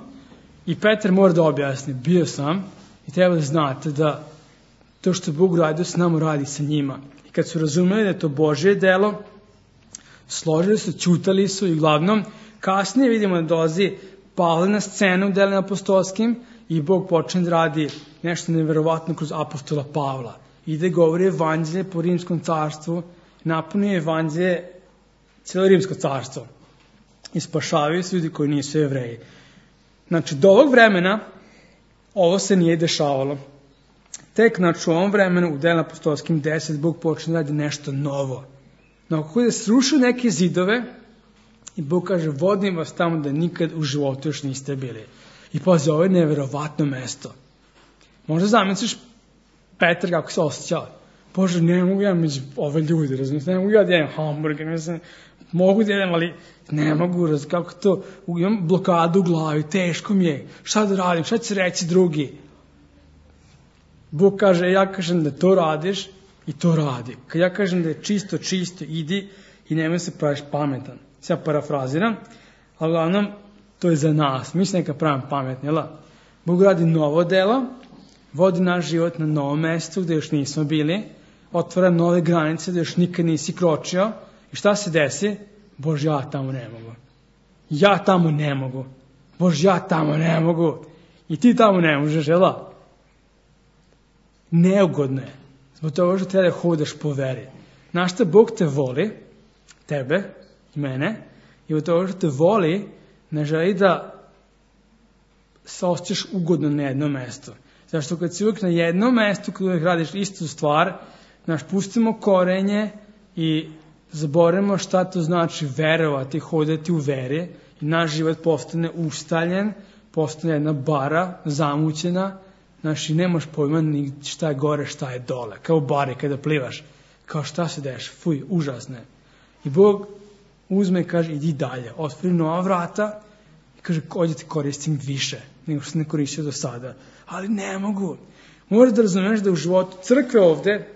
I Petar mora da objasni, bio sam i treba da znate da to što Bog radio s nama radi sa njima. I kad su razumeli da je to Božje delo, složili su, ćutali su i uglavnom kasnije vidimo da dolazi Pavle na scenu u Delima apostolskim i Bog počne da radi nešto neverovatno kroz apostola Pavla. Ide govori evanđelje po rimskom carstvu, napunuje evanđelje cijelo rimsko carstvo i spašavaju se ljudi koji nisu Jevreji. Znači, do ovog vremena ovo se nije dešavalo. Tek, znači, u ovom vremenu, u Delima apostolskim 10, Bog počne da radi nešto novo. No, kako da srušio neke zidove i Bog kaže, vodim vas tamo da nikad u životu još niste bili. I pazi, ovo je neverovatno mesto. Možda zamisliš Petar kako se osjećao. Bože, ne mogu ja među ove ljudi, razumiješ, ne mogu ja da jedem hamburger, mislim, mogu da jedem, ali ne mogu, kako to, imam blokadu u glavi, teško mi je, šta da radim, šta će reći drugi? Bog kaže, ja kažem da to radiš i to radi. Kad ja kažem da je čisto, idi i nemoj se praviš pametan. Ja parafraziram, ali uglavnom, to je za nas, mi se neka pravim pametni, jel? Bog radi novo delo, vodi naš život na novom mestu gde još nismo bili, otvara nove granice gde još nikad nisi kročio i šta se desi? Bože, ja tamo ne mogu. Ja tamo ne mogu. Bože, ja tamo ne mogu. I ti tamo ne možeš, jel da? Neugodno je. Zbog toga što treba da hodaš po veri. Znaš šta, Bog te voli, tebe i mene, i zbog toga što te voli, ne želi da se osjećaš ugodno na jednom mestu. Zašto kad si uvijek na jednom mestu, kad uvijek radiš istu stvar, pustimo korenje i zaboravimo šta to znači verovati, hodati u veri i naš život postane ustaljen, postane jedna bara, zamućena, i nemaš pojma ni šta je gore, šta je dole, kao u bari kada plivaš, kao šta se deš, fuj, užasno je. I Bog uzme i kaže, idi dalje, otvori nova vrata i kaže, odite koristim više nego što se ne koristio do sada. Ali ne mogu. Moraš da razumeš da u životu crkve ovde,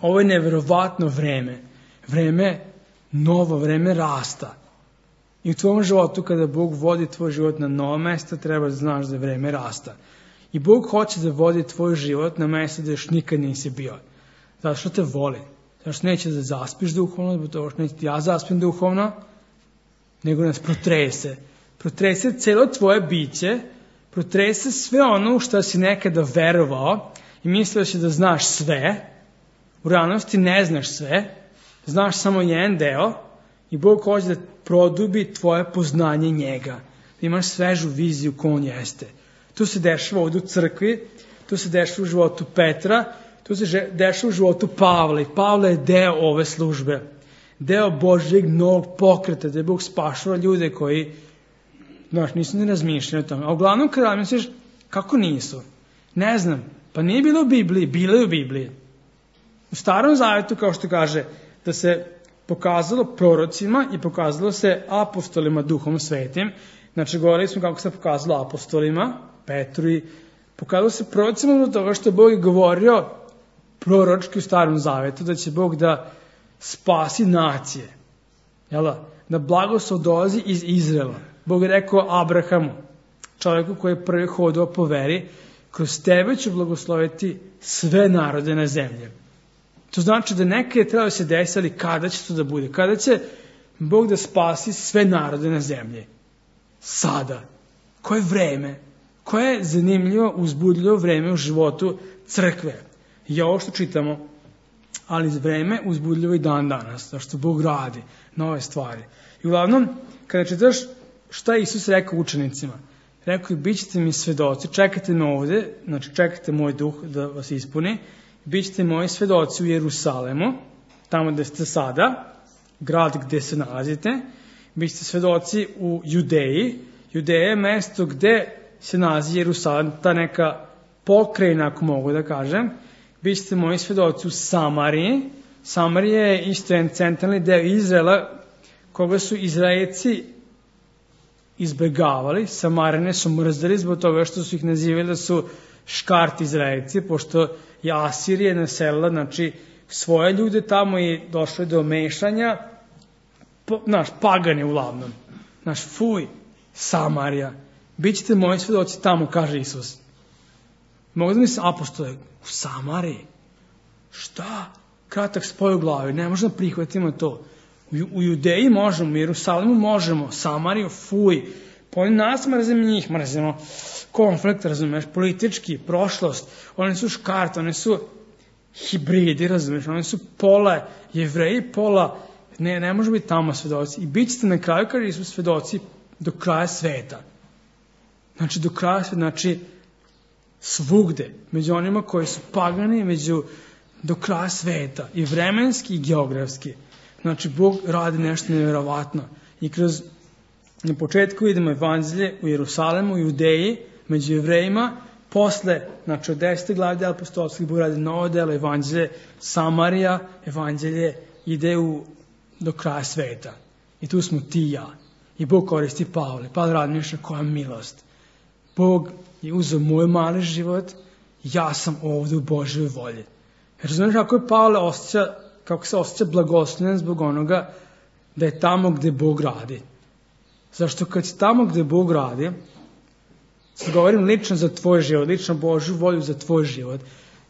ovo je neverovatno vreme. Vreme novo, vreme rasta. I u tvojom životu, kada Bog vodi tvoj život na novo mesto, treba da znaš da je vreme rasta. I Bog hoće da vodi tvoj život na mesto da još nikad nisi bio. Zato što te voli. Zato što neće da zaspiš duhovno, zato što neće ja zaspim duhovno, nego nas protrese. Protrese celo tvoje biće, protrese sve ono u što si nekada verovao i mislio si da znaš sve. U realnosti ne znaš sve, znaš samo jedan deo i Bog hoće da produbi tvoje poznanje njega. Da imaš svežu viziju ko on jeste. To se dešava ovdje u crkvi, to se dešava u životu Petra, to se dešava u životu Pavla. I Pavle je deo ove službe. Deo Božjeg novog pokreta, da je Bog spašava ljude koji, nisu ni razmišljali o tome. A uglavnom kada misliš, kako nisu? Ne znam, pa nije bilo u Bibliji, bilo je u Bibliji. U Starom Zavetu, kao što kaže, da se pokazalo prorocima i pokazalo se apostolima Duhom Svetim. Znači, govorili smo kako se pokazalo apostolima, Petru, i pokazalo se prorocima do toga što je Bog govorio proročki u Starom Zavetu, da će Bog da spasi nacije. Da blagoslov dolazi iz Izraela. Bog je rekao Abrahamu, čovjeku koji je prvi hodao po veri, kroz tebe ću blagosloviti sve narode na zemlji. To znači da neke je trebalo se desiti, ali kada će to da bude? Kada će Bog da spasi sve narode na zemlji? Sada. Koje vreme? Koje je zanimljivo, uzbudljivo vreme u životu crkve? I ovo što čitamo, ali vreme uzbudljivo i dan danas, zašto Bog radi nove stvari. I uglavnom, kada čitaš šta je Isus rekao učenicima, rekao je, bit ćete mi svedoci, čekajte me ovde, znači čekajte moj duh da vas ispuni, bit ćete moji svedoci u Jerusalemu, tamo gde ste sada, grad gde se nalazite, bit ćete svedoci u Judeji. Judeja je mesto gde se nalazi Jerusalim, ta neka pokrajina, ako mogu da kažem. Bit ćete moji svedoci u Samariji. Samarija je isto jedan centralni deo Izraela, koga su Izraelci izbegavali. Samarine su mrzeli zbog toga što su ih nazivali da su škart Izraelci, pošto je Asirija naselila, znači, svoje ljude tamo i došlo je do mešanja, pagani uglavnom. Fuj, Samarija. Bićete moji svedoci tamo, kaže Isus. Mogu da mislim, apostole, u Samariji? Šta? Kratak spoj u glavi, ne možemo prihvatimo to. U Judeji možemo, u Jerusalimu možemo, Samariju, fuj. Pa oni nas mrzimo njih, mrzimo konflikt, razumeš, politički, prošlost. Oni su škart, oni su hibridi, razumeš, oni su pola Jevreji, pola, ne može biti tamo svedoci. I bit ćete na kraju, kaže Isus, svedoci do kraja sveta. Znači, do kraja sveta, znači, svugde, među onima koji su pagani, do kraja sveta, i vremenski i geografski. Znači, Bog radi nešto nevjerovatno. I na početku vidimo evanđelje u Jerusalimu, u Judeji, među Jevrejima, posle, znači od 10. glave apostolskih, Bog radi novo delo, evanđelje Samarija, evanđelje ide do kraja sveta. I tu smo ti i ja. I Bog koristi Pavle. Pavle razmišlja koja milost. Bog je uzeo moj mali život, ja sam ovdje u Božjoj volji. Razumiješ kako je Pavle kako se osjeća blagoslovljen zbog onoga da je tamo gde Bog radi. Zašto kad si tamo gde Bog radi, sad govorim lično za tvoj život, lično Božju volju za tvoj život,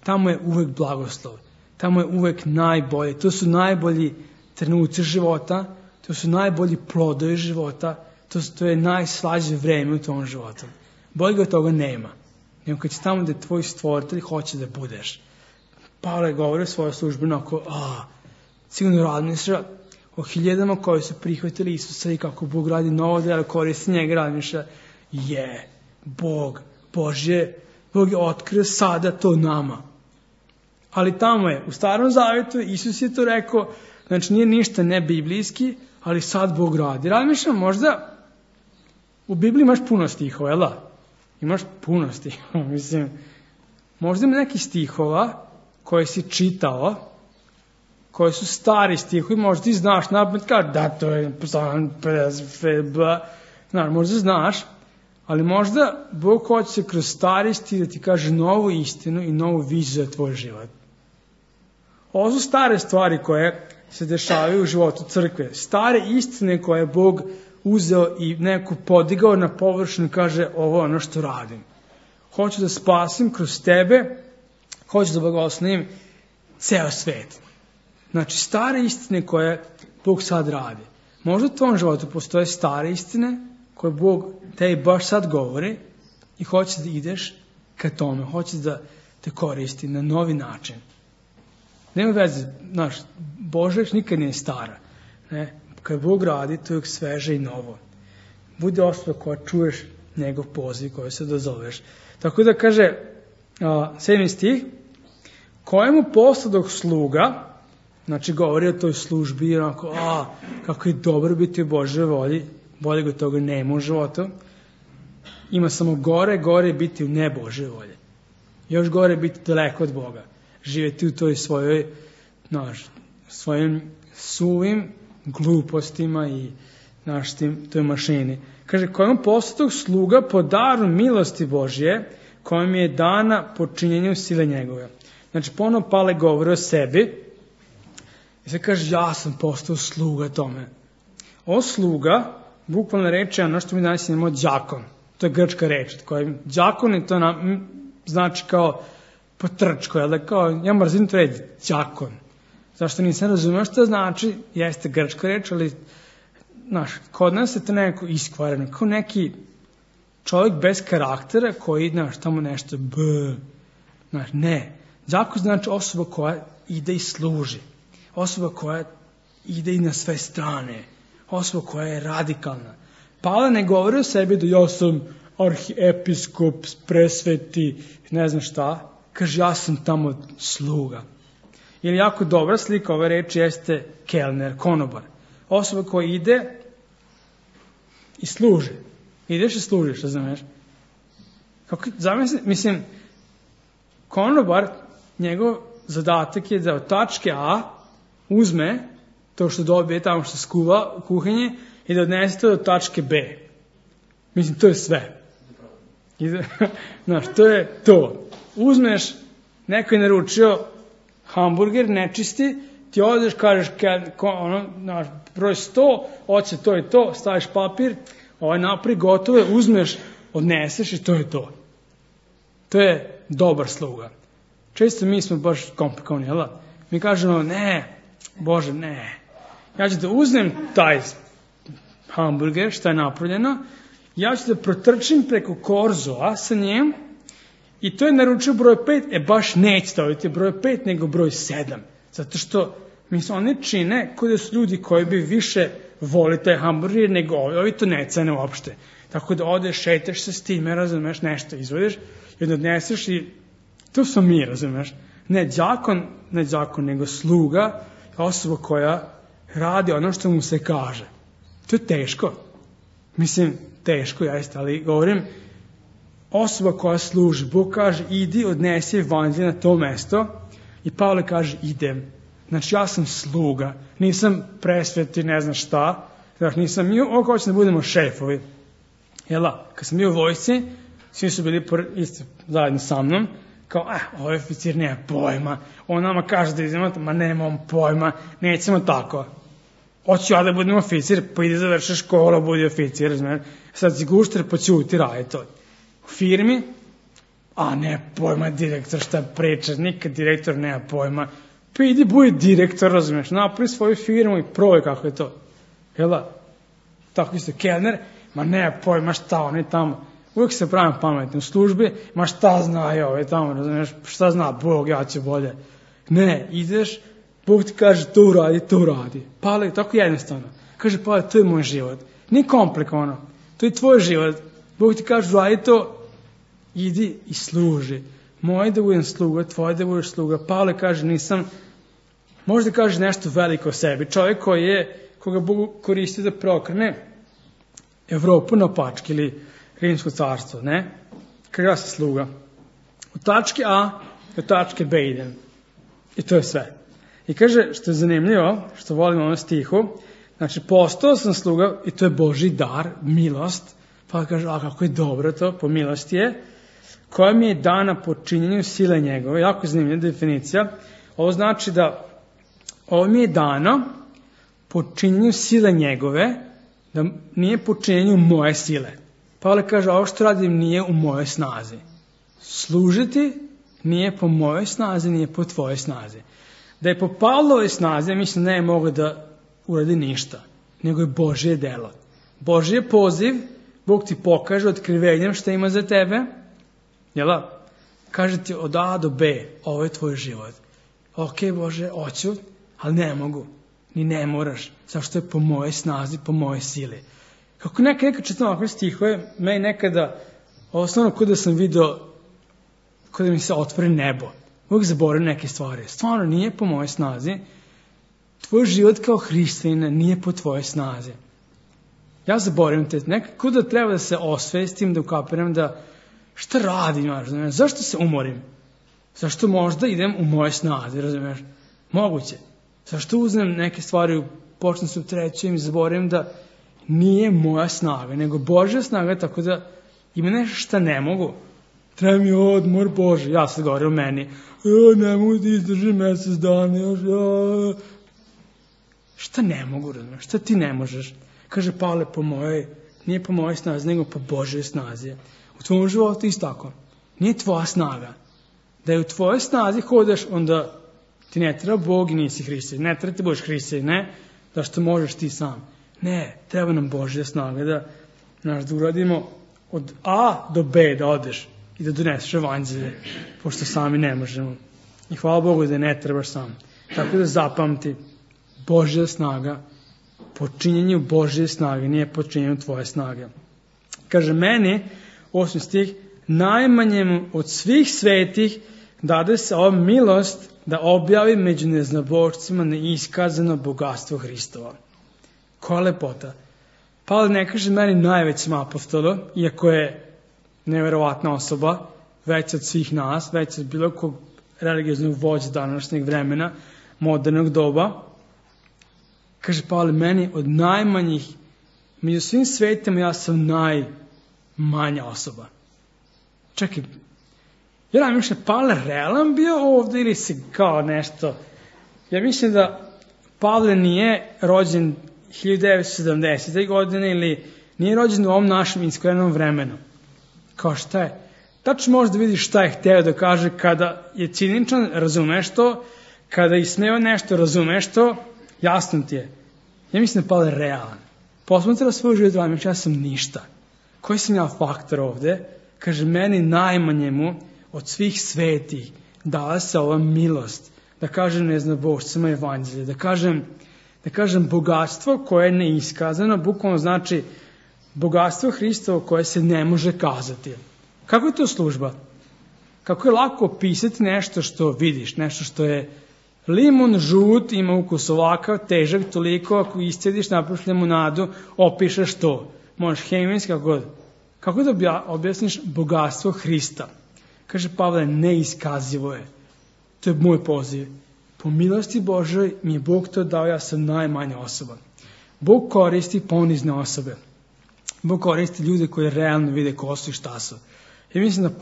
tamo je uvek blagoslov, tamo je uvek najbolje, to su najbolji trenuci života, to su najbolji plodovi života, to je najslađe vreme u tom životu. Boljega toga nema. Nego kad si tamo gde tvoj stvoritelj hoće da budeš. Pavle je govorio svoje službeno sigurno razmišlja o hiljadama koji su prihvatili Isusa i kako Bog radi novo delo, koristi njega, razmišlja Bog je otkrio sada to nama. Ali tamo je, u Starom Zavjetu, Isus je to rekao, znači nije ništa ne biblijski, ali sad Bog radi. Razmišljam, možda u Bibliji imaš puno stihova, jel da? Imaš puno stihova, mislim. Možda ima neki stihova koje si čitao, koji su stari stihovi, možda ti znaš napred, da to je možda znaš, ali možda Bog hoće se kroz stari stih da ti kaže novu istinu i novu viziju za tvoj život. Ovo su stare stvari koje se dešavaju u životu crkve. Stare istine koje je Bog uzeo i neko podigao na površinu i kaže ovo je ono što radim. Hoću da spasim kroz tebe, hoću da blagoslovim ceo svet. Znači, stare istine koje Bog sad radi. Možda u tvom životu postoje stare istine koje Bog tebi baš sad govori i hoće da ideš ka tome, hoće da te koristi na novi način. Nema veze, Božja reč nikad nije stara. Ne? Kad Bog radi, to je uvijek sveže i novo. Budi osoba koja čuješ njegov poziv, koji se dozoveš. Tako da kaže 7. stih, kojemu posladog sluga, znači govori o toj službi, onako, kako je dobro biti u Božoj volji, bolje ga toga nema u životu. Ima samo gore biti u nebožoj volji. Još gore biti daleko od Boga. Živjeti u toj svojim suvim glupostima i toj mašini. Kaže, kojemu posladog sluga po daru milosti Božje, kojom je dana po činjenju sile njegove. Znači, ponovno Pavle govori o sebi i se kaže, ja sam postao sluga tome. Ovo sluga, bukvalno reč je ono što mi danas imamo đakon. To je grčka reč. Đakon je to znači kao potrčko, ja mrzim to reći, đakon. Zašto nisam razumio što znači, jeste grčka reč, ali kod nas je to neko iskvareno, kao neki čovjek bez karaktera koji, tamo nešto ne. Đakon znači osoba koja ide i služi, osoba koja ide i na sve strane, osoba koja je radikalna. Pavle ne govori o sebi da ja sam arhiepiskop, presveti, ne znam šta, kaže ja sam tamo sluga. Ili jako dobra slika ove reči jeste kelner, konobar. osoba koja ide i služi. Ideš i služiš, razumeš? Mislim, konobar, njegov zadatak je da od tačke A uzme to što dobije tamo što skuva u kuhinji i da odnese to do tačke B. Mislim, to je sve. Znaš, to je to. Uzmeš, neko je naručio hamburger, nečisti, ti odeš, kažeš, broj 100, hoće to i to, staviš papir, napri gotove, uzmeš, odneseš i to je to. To je dobar sluga. Često mi smo baš komplikovani, jel da? Mi kažemo, ne, Bože, ne. Ja ću da uzmem taj hamburger, što je napravljeno, ja ću da protrčim preko korzoa sa njim i to je naručio broj 5, baš neće staviti broj 5, nego broj 7. Zato što, mislim, oni čine koji su ljudi koji bi više voli taj hamburger nego ovi to ne cene uopšte. Tako da odeš, šetaš se s time, razumeš, nešto izvodiš i onda odneseš i to smo mi, razumeš. Ne đakon, nego sluga, osoba koja radi ono što mu se kaže. To je teško. Mislim, teško, jeste, ali govorim, osoba koja služi, Bog kaže, idi, odnesi evanđelje na to mesto i Pavle kaže, idem. Znači, ja sam sluga, nisam presveti, ne znam šta, znači, nisam mi, ovo hoće da budemo šefovi. Jela, kad sam bio u vojsci, svi su bili isto zajedno sa mnom, kao, ovaj oficir nema pojma, on nama kaže da idemo, ma nemam pojma, nećemo tako. Hoću ja da budem oficir, pa ide završi škola, budi oficir, razumiješ. Sad si gušter, pa ćuti, radi to. U firmi, ne pojma direktor šta priča, nikad direktor nema pojma, pa idi budi direktor, razumiješ, napravi svoju firmu i probaj kako je to. Jela, tako isto kelner, ma nema pojma šta oni tamo, uvijek se pravim pametni u službi, ma šta zna i ovaj tamo, razumiješ, šta zna Bog, ja ću bolje. Ne, ideš, Bog ti kaže to uradi. Pavle, tako jednostavno. Kaže Pavle, to je moj život. Nije komplikovano. To je tvoj život. Bog ti kaže uradi to, idi i služi. Moj da budem sluga, tvoj da budeš sluga. Pavle kaže nisam, možda kaže nešto veliko o sebi. Čovjek koga Bog koristi da prokrene Evropu na pačke ili Rimsko carstvo, ne? Kaže ja sam sluga. Od tačke A do tačke B idem. I to je sve. I kaže, što je zanimljivo, što volim ono stihu, znači postao sam sluga i to je Božji dar, milost, pa kaže, kako je dobro to, po milosti je, koja mi je dana po činjenju sile njegove, jako zanimljiva definicija, ovo znači da ovo mi je dano po činjenju sile njegove, da nije po činjenju moje sile. Pavle kaže, ovo što radim nije u mojoj snazi. Služiti nije po mojoj snazi, nije po tvojoj snazi. Da je po Pavlovoj snazi, mislim, ne je mogao da uradi ništa, nego je Božje delo. Božji je poziv, Bog ti pokaže otkrivenjem šta ima za tebe, jela? Kaže ti od A do B, ovo je tvoj život. Ok, Bože, hoću, ali ne mogu, ni ne moraš, zašto je po mojoj snazi, po mojoj sili. Kako nekad čitam ovakve stihove, meni nekada, osnovno kod da sam vidio, kod da mi se otvori nebo, uvijek zaboravim neke stvari. Stvarno nije po mojoj snazi. Tvoj život kao hrišćanina nije po tvojoj snazi. Ja zaboravim te. Nekako da treba da se osvestim, da ukapiram da šta radim, razumiješ? Zašto se umorim? Zašto možda idem u moje snazi, razumiješ? Moguće. Zašto uzmem neke stvari, počnem se u trećem i zaboravim da nije moja snaga, nego Božja snaga, tako da ima nešto šta ne mogu. Treba mi odmor, Bože, ja sad govorim o meni. Ne mogu da izdržim mjesec dana. Šta ne mogu, razumiješ? Šta ti ne možeš? Kaže Pavle, nije po mojoj snazi, nego po Božjoj snazi. U tvojom životu isto tako. Nije tvoja snaga. Da je u tvojoj snazi hodaš, onda ti ne treba Bog i nisi hrišćanin. Ne treba ti budeš hrišćanin, ne? Da što možeš ti sam. Ne, treba nam Božja snaga da uradimo od A do B da odeš i da doneseš evanđelje, pošto sami ne možemo. I hvala Bogu da ne trebaš sam. Tako da zapamti, Božja snaga, počinjenju Božje snage, nije počinjenju tvoje snage. Kaže meni, 8. stih, najmanjemu od svih svetih dade se ova milost da objavi među neznabošcima neiskazano bogatstvo Hristova. Koja lepota. Pavle ne kaže meni najvećem apostolu, iako je neverovatna osoba, već od svih nas, već od bilo kog religioznog vođa današnjeg vremena, modernog doba. Kaže Pavle, meni od najmanjih, među svim svetima ja sam najmanja osoba. Čekaj, ja razmišljam, Pavle realan bio ovdje ili si kao nešto? Ja mislim da Pavle nije rođen 1970. godine ili nije rođen u ovom našem iskrenom vremenu. Kao šta je? Tačno možeš da vidiš šta je hteo da kaže kada je ciničan, razumeš to, kada je ismeo nešto, razumeš to, jasno ti je. Ja mislim da Pavle realan. Posmatra svoj život, razmišljam, ja sam ništa. Koji sam ja faktor ovde? Kaže, meni najmanjemu od svih svetih dala se ova milost. Da kažem neznabošcima evanđelja, da kažem bogatstvo koje je neiskazano, bukvalno znači bogatstvo Hristovo koje se ne može kazati. Kako je to služba? Kako je lako opisati nešto što vidiš, nešto što je limun žut, ima ukus ovakav, težak toliko, ako iscediš, napraviš limunadu, opišeš to. Možeš hemijski, kako god. Kako da objasniš bogatstvo Hrista? Kaže Pavle, neiskazivo je. To je moj poziv. Po milosti Božoj mi je Bog to dao, ja sam najmanja osoba. Bog koristi ponizne osobe. Bog koristi ljude koji realno vide ko su i šta su. I mislim da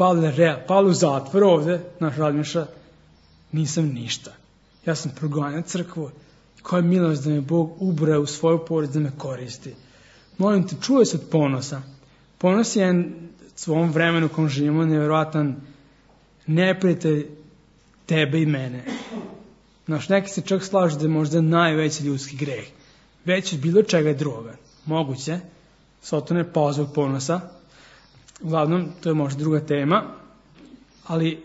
Pavle u zatvoru ovde, naš razmišlja, nisam ništa. Ja sam progonio crkvu. Koja je milost da me Bog ubraja u svoju porodicu da me koristi. Molim te, čuje se od ponosa. Ponos je u svom vremenu u kom živimo nevjerojatan neprijatelj tebe i mene. Znaš, neki se čak slažu da je možda najveći ljudski greh. Već od bilo čega drugoga. Moguće. Sotone je pao zbog ponosa. Uglavnom, to je možda druga tema. Ali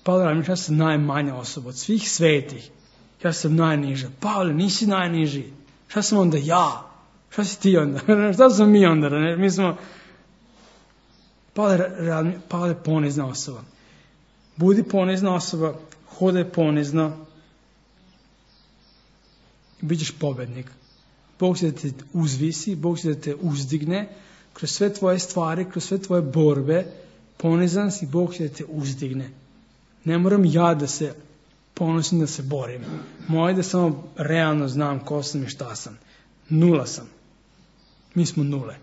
Pavle razmišlja, ja sam najmanja osoba od svih svetih. Ja sam najniža. Pavle, nisi najniži. Šta sam onda ja? Šta si ti onda? Šta smo mi onda? Mi smo... Pavle je ponizna osoba. Budi ponizna osoba, hodaj ponizno i bit ćeš pobednik. Bog će da te uzvisi, Bog će da te uzdigne kroz sve tvoje stvari, kroz sve tvoje borbe. Ponizan si, Bog će da te uzdigne. Ne moram ja da se ponosim, da se borim. Moje da samo realno znam ko sam i šta sam. Nula sam. Mi smo nule.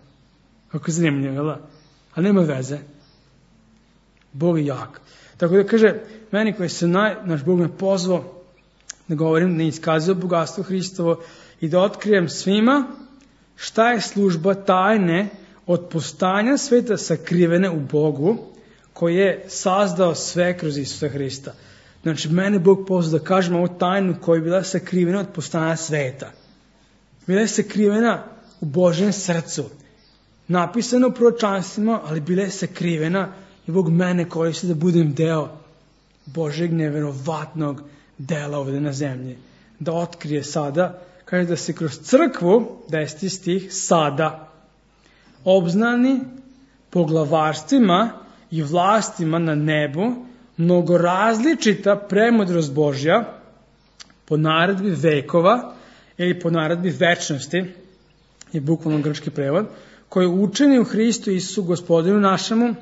Kako je zanimljivo, jel da? Ali nema veze. Bog je jak. Tako da kaže, meni koji se naš Bog me pozvao da govorim, da iskazuje bogatstvo Hristovo i da otkrijem svima šta je služba tajne od postanja sveta sakrivene u Bogu koji je sazdao sve kroz Isusa Hrista. Znači, mene Bog pozvao da kažem ovu tajnu koja je bila sakrivena od postanja sveta. Bila je sakrivena u Božjem srcu. Napisano u proročanstvima, ali bila je sakrivena i Bog mene koristi da budem deo Božeg neverovatnog dela ovdje na zemlji. Da otkrije sada, kaže da se kroz crkvu, 10. stih, sada obznani poglavarstvima i vlastima na nebu mnogo različita premudrost Božja po naredbi vekova ili po naredbi večnosti, je bukvalno grčki prevod, koji učeni u Hristu Isusu Gospodinu našemu,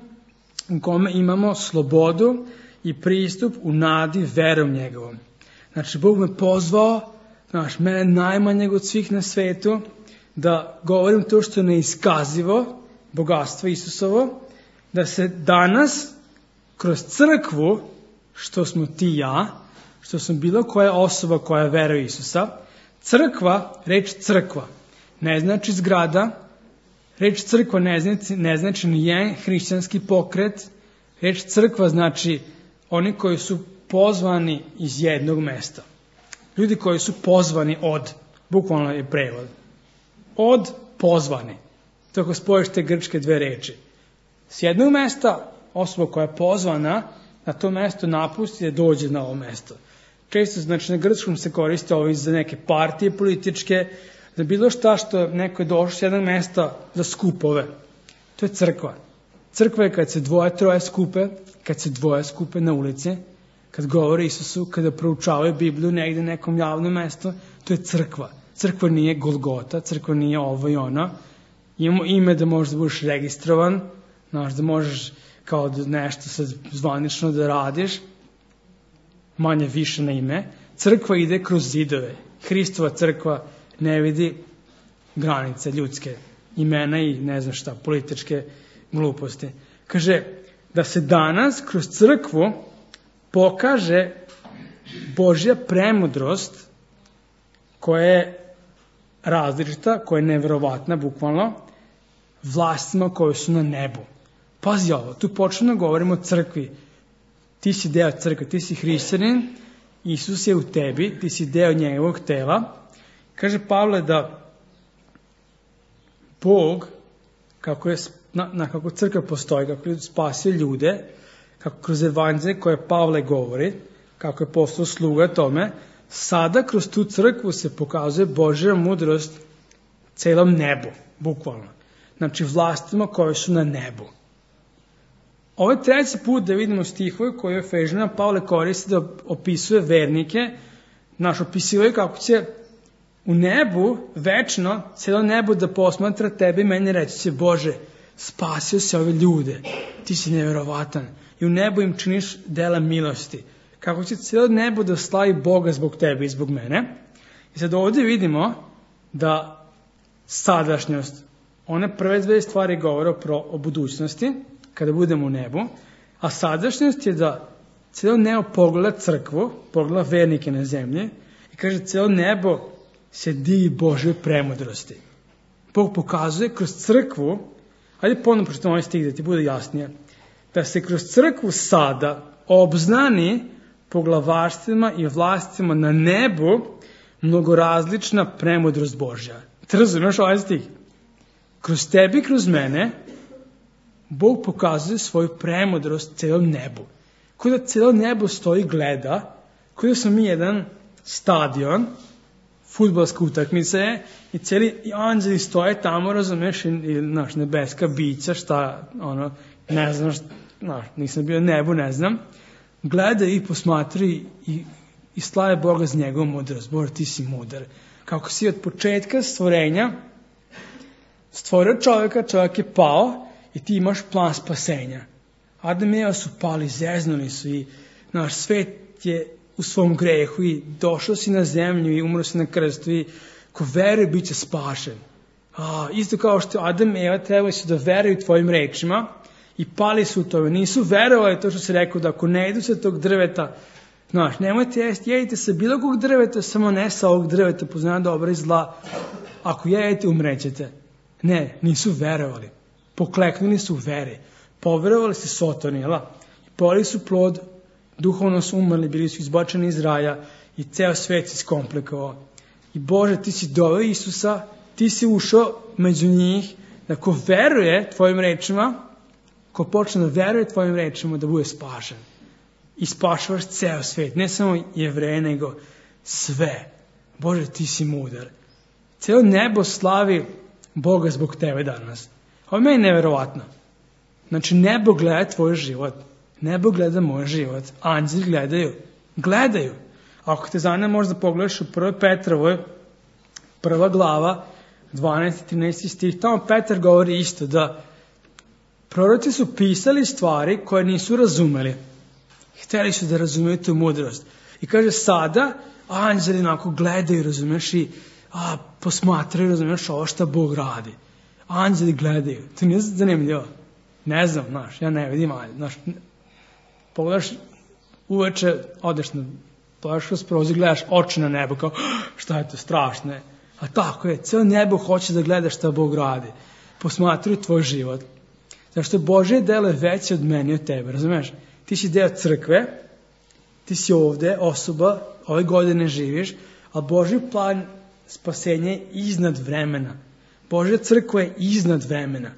u kome imamo slobodu i pristup u nadi verom njegovom. Znači, Bog me pozvao, mene najmanjeg od svih na svetu, da govorim to što je neiskazivo, bogatstvo Isusovo, da se danas, kroz crkvu, što smo ti i ja, što sam bilo koja osoba koja veruje Isusa, crkva, reč crkva, ne znači zgrada, reč crkva ne znači ni jedan hrišćanski pokret, reč crkva znači oni koji su pozvani iz jednog mesta. Ljudi koji su pozvani od, bukvalno je prevod, od pozvani. To ako spojiš te grčke dve reči. S jednog mesta osoba koja je pozvana na to mesto napusti da dođe na ovo mesto. Često, znači na grčkom se koriste ovi za neke partije političke, za bilo šta što neko je došao s jednog mesta za skupove. To je crkva. Crkva je kad se troje skupe na ulici, kad govore Isusu, kada proučavaju Bibliju negdje na nekom javnom mjestu, to je crkva. Crkva nije Golgota, crkva nije ovo i ono. Imamo ime da možeš da budeš registrovan, da možeš kao nešto sad zvanično da radiš, manje više na ime. Crkva ide kroz zidove. Hristova crkva ne vidi granice ljudske, imena i ne znam šta, političke gluposti. Kaže da se danas kroz crkvu pokaže Božja premudrost koja je različita, koja je neverovatna, bukvalno, vlastima koje su na nebu. Pazi ovo, tu počnemo govorimo o crkvi. Ti si deo crkve, ti si hrišćanin, Isus je u tebi, ti si deo njegovog tela. Kaže Pavle da Bog, kako crkva postoji, kako je spasio ljude, kako kroz evanđelje koje Pavle govori, kako je postao sluga tome, sada kroz tu crkvu se pokazuje Božja mudrost celom nebu, bukvalno. Znači vlastima koje su na nebu. Ovo je treći put da vidimo stihove koje Efežanima Pavle koristi da opisuje vernike, opisivaju kako će u nebu, večno, cijelo nebo da posmatra tebe i meni reći će Bože, spasio se ove ljude, ti si neverovatan i u nebu im činiš dela milosti. Kako će cijelo nebo da slavi Boga zbog tebe i zbog mene. I sad ovdje vidimo da sadašnjost, one prve dve stvari govore o budućnosti, kada budemo u nebu, a sadašnjost je da cijelo nebo pogleda crkvu, pogleda vernike na zemlji i kaže cijelo nebo se divi Božoj premudrosti. Bog pokazuje kroz crkvu, ajde ponovno pročitam ovaj stih da ti bude jasnije, da se kroz crkvu sada obznani poglavarstvima i vlastima na nebu mnogorazlična premudrost Božja. Ti razumiješ ovaj stih? Kroz tebi, kroz mene, Bog pokazuje svoju premudrost cijelom nebu. Kao da cijelo nebo stoji gleda, kao da smo mi jedan stadion, fudbalska utakmica je, i cijeli anđeli stoje tamo, razumiješ, i nebeska bića, šta, ne znam, nisam bio na nebu, ne znam, gleda i posmatri i slave Boga za njegovu mudrost. Bože, ti si mudar. Kako si od početka stvorenja stvorio čovjeka, čovjek je pao i ti imaš plan spasenja. Adam i Eva su pali, zeznuli su i naš svet je u svom grehu i došao si na zemlju i umro si na krstu i ko veruje bit će spašen. Isto kao što Adam i Eva trebali su da veruju tvojim rečima i pali su u tome. Nisu verovali to što se rekao da ako ne jedu se tog drveta, nemojte jesti, jedite se bilo kog drveta, samo ne sa ovog drveta, poznanja dobra i zla. Ako jedete, umrećete. Ne, nisu verovali. Pokleknuli su u veri. Poverovali su Sotoni, poli su plod, duhovno su umrli, bili su izbačeni iz raja i ceo svet se iskomplikovao. I Bože, ti si doveo Isusa, ti si ušao među njih, da ko veruje tvojim rečima, ko počne da veruje tvojim rečima, da bude spašen. I spašavaš ceo svet, ne samo Jevreje, nego sve. Bože, ti si mudar. Cijelo nebo slavi Boga zbog tebe danas. Ovo je meni neverovatno. Znači, nebo gleda tvoj život. Nebo gleda moj život. Anđeli gledaju. Ako te zanima, možda pogledaš u 1. Petrovoj, 1. glava, 12. i 13. stih. Tamo Petar govori isto da proroci su pisali stvari koje nisu razumeli. Hteli su da razumiju tu mudrost. I kaže sada, anđeli onako gledaju, razumiješ, i posmatraju, razumiješ, ovo šta Bog radi. Anđeli gledaju. To nije zanimljivo. Ne znam, ja ne vidim, pogledaš uveče, odeš pogledaš kroz prozor, gledaš oči na nebo, kao, šta je to strašno je. A tako je, cijelo nebo hoće da gleda šta Bog radi. Posmatruju tvoj život. Zašto Božje delo je veće od mene i od tebe, razumiješ? Ti si deo crkve, ti si ovde osoba, ove godine živiš, a Božji plan spasenja je iznad vremena. Božja crkva je iznad vremena.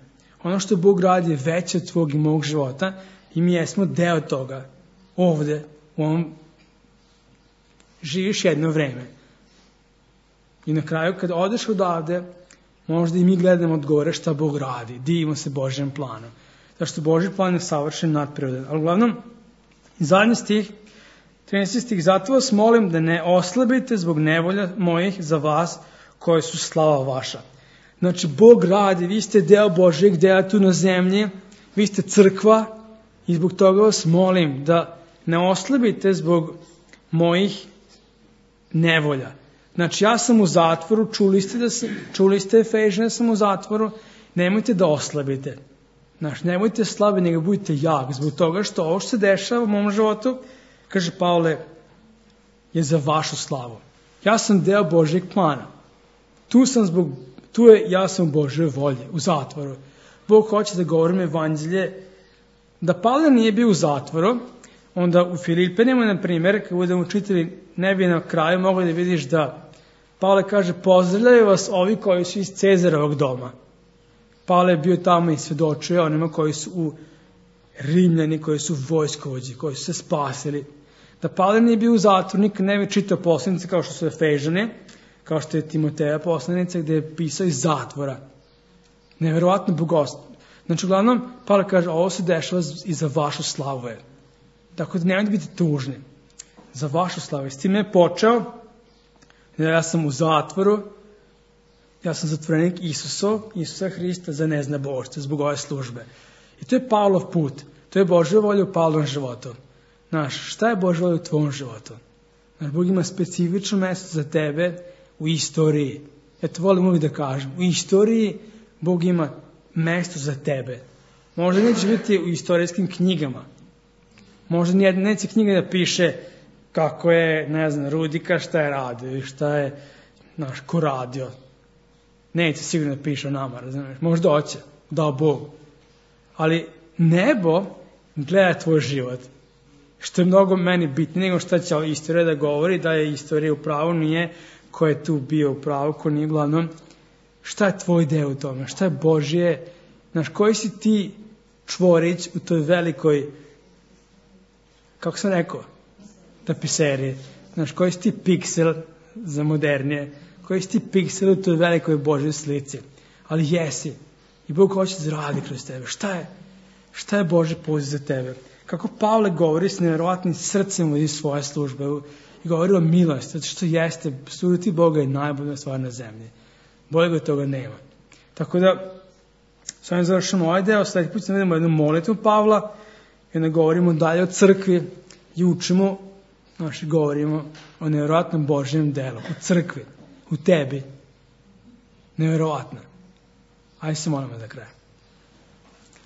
Ono što Bog radi je veće od tvog i mog života i mi jesmo deo toga. Ovde, u ovom, živiš jedno vreme. I na kraju, kad odeš odavde, možda i mi gledamo od gore šta Bog radi. Divimo se Božjem planom. Zašto Božji plan je savršen, nadprirodan. Ali uglavnom, zadnji stih, 13. stih, zato vas molim da ne oslabite zbog nevolja mojih za vas koje su slava vaša. Znači, Bog radi, vi ste deo Božjeg dela tu na zemlji, vi ste crkva i zbog toga vas molim da ne oslabite zbog mojih nevolja. Znači, ja sam u zatvoru, čuli ste Efežane, sam u zatvoru, nemojte da oslabite. Znači, nemojte slabi, nego budite jak, zbog toga što ovo što se dešava u mom životu, kaže Pavle, je za vašu slavu. Ja sam deo Božjeg plana. Ja sam u Božjoj volji, u zatvoru. Bog hoće da govorim evanđelje. Da Pavle nije bio u zatvoru, onda u Filipenima, na primjer, kad budemo čitali, ne bi na kraju mogli da vidiš da Pavle kaže, pozdravljaju vas ovi koji su iz Cezarovog doma. Pavle je bio tamo i svedočio onima koji su u Rimljani, koji su vojskovođi, koji su se spasili. Da Pavle nije bio u zatvoru, nikad ne bi čitao poslanice kao što su Efežane, kao što je Timoteja poslanica, gde je pisao iz zatvora. Neverovatno bogatstvo. Znači, uglavnom, Pavle kaže, ovo se dešava i za vašu slavu. Tako da nemojte biti tužni. Za vašu slavu. S tim je počeo, ja sam u zatvoru, ja sam zatvorenik Isusa Hrista za neznabošće, zbog ove službe. I to je Pavlov put. To je Božja volja u Pavlovom životu. Znaš, šta je Božja volja u tvojom životu? Znaš, Bog ima specifično mjesto za tebe u istoriji. Eto, volim uvijek da kažem. U istoriji Bog ima mjesto za tebe. Možda neće biti u istorijskim knjigama. Možda neće knjiga da piše kako je, ne znam, Rudika šta je radio i šta je, znaš, ko radio. Neće sigurno da piše o nama, razumiješ. Možda hoće, dao Bog. Ali nebo gleda tvoj život. Što je mnogo meni bitnije nego šta će istorija da govori, da je istorija u pravu, nije ko je tu bio u pravu, ko nije uglavnom. Šta je tvoj deo u tome? Šta je Božje? Znaš, koji si ti čvorić u toj velikoj, kako sam rekao, tapiseriji? Znaš, koji si ti piksel za modernije? Koji si ti piksel u toj velikoj Božjoj slici? Ali jesi. I Bog hoće da radi kroz tebe. Šta je Božji poziv za tebe? Kako Pavle govori s nevjerovatnim srcem iz svoje službe i govori o milosti, zato što jeste, služiti Boga je najbolja stvar na zemlji. Bolje ga toga nema. Tako da, s ovim završamo ovaj deo, sljedeći put vidimo jednu molitvu Pavla i onda govorimo dalje o crkvi i učimo, znači govorimo o nevjerovatnom Božjem delu, u crkvi, u tebi. Nevjerovatno. Ajde se molimo za kraj.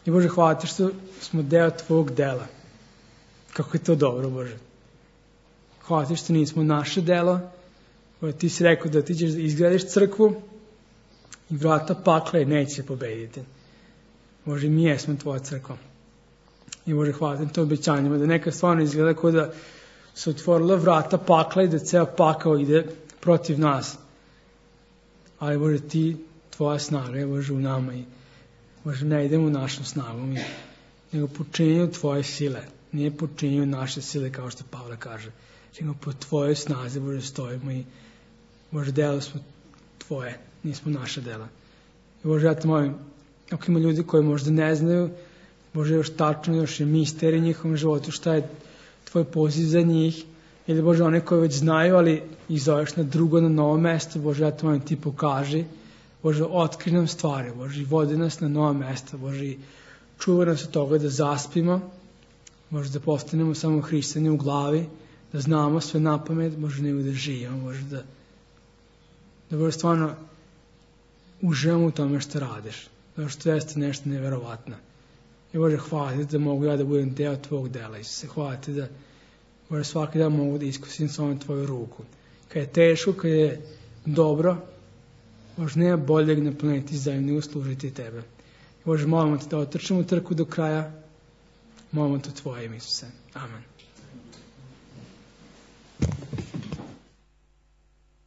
I Bože, hvala ti što smo deo tvojeg dela. Kako je to dobro, Bože. Hvala ti što nismo naše delo. Bože, ti si rekao da ti ćeš da izgradiš crkvu i vrata pakla neće pobediti. Bože, mi jesmo tvoja crkva. I Bože, hvala ti na to obećanjima, da neka stvarno izgleda kao da se otvorila vrata pakla i da ceo pakao ide protiv nas. Ali Bože, ti, tvoja snaga je, Bože, u nama i Bože, ne idemo u našu snagu, nego po činjenju tvoje sile. Nije po činjenju naše sile, kao što Pavle kaže. Nego po tvojoj snazi, Bože, stojimo i Bože, delo smo tvoje, nismo naše dela. I Bože, ja te molim, ako ima ljudi koji možda ne znaju, Bože, još tačno, još je misterij njihovom životu, šta je tvoj poziv za njih, ili Bože, one koji već znaju, ali ih zoveš na drugo, na novo mesto, Bože, ja te molim, ti pokaži. Bože, otkri nam stvari, Bože, vodi nas na nova mesta, Bože, čuvaj nas od toga da zaspimo, Bože, da postanemo samo hrišćani u glavi, da znamo sve na pamet, Bože, nego da živimo, Bože, da Bože, stvarno uživamo u tome što radiš, zato što jeste nešto nevjerovatno. I Bože, hvala ti da mogu ja da budem deo tvojeg dela, Isuse, hvala ti da, Bože, svaki dan mogu da iskusim samo tvoju ruku. Kad je teško, kad je dobro, Bože, nema boljeg na planeti zemlji nego služiti tebe. Bože, molimo te da otrčemo trku do kraja. Molimo te tvoje ime, Isuse. Amen.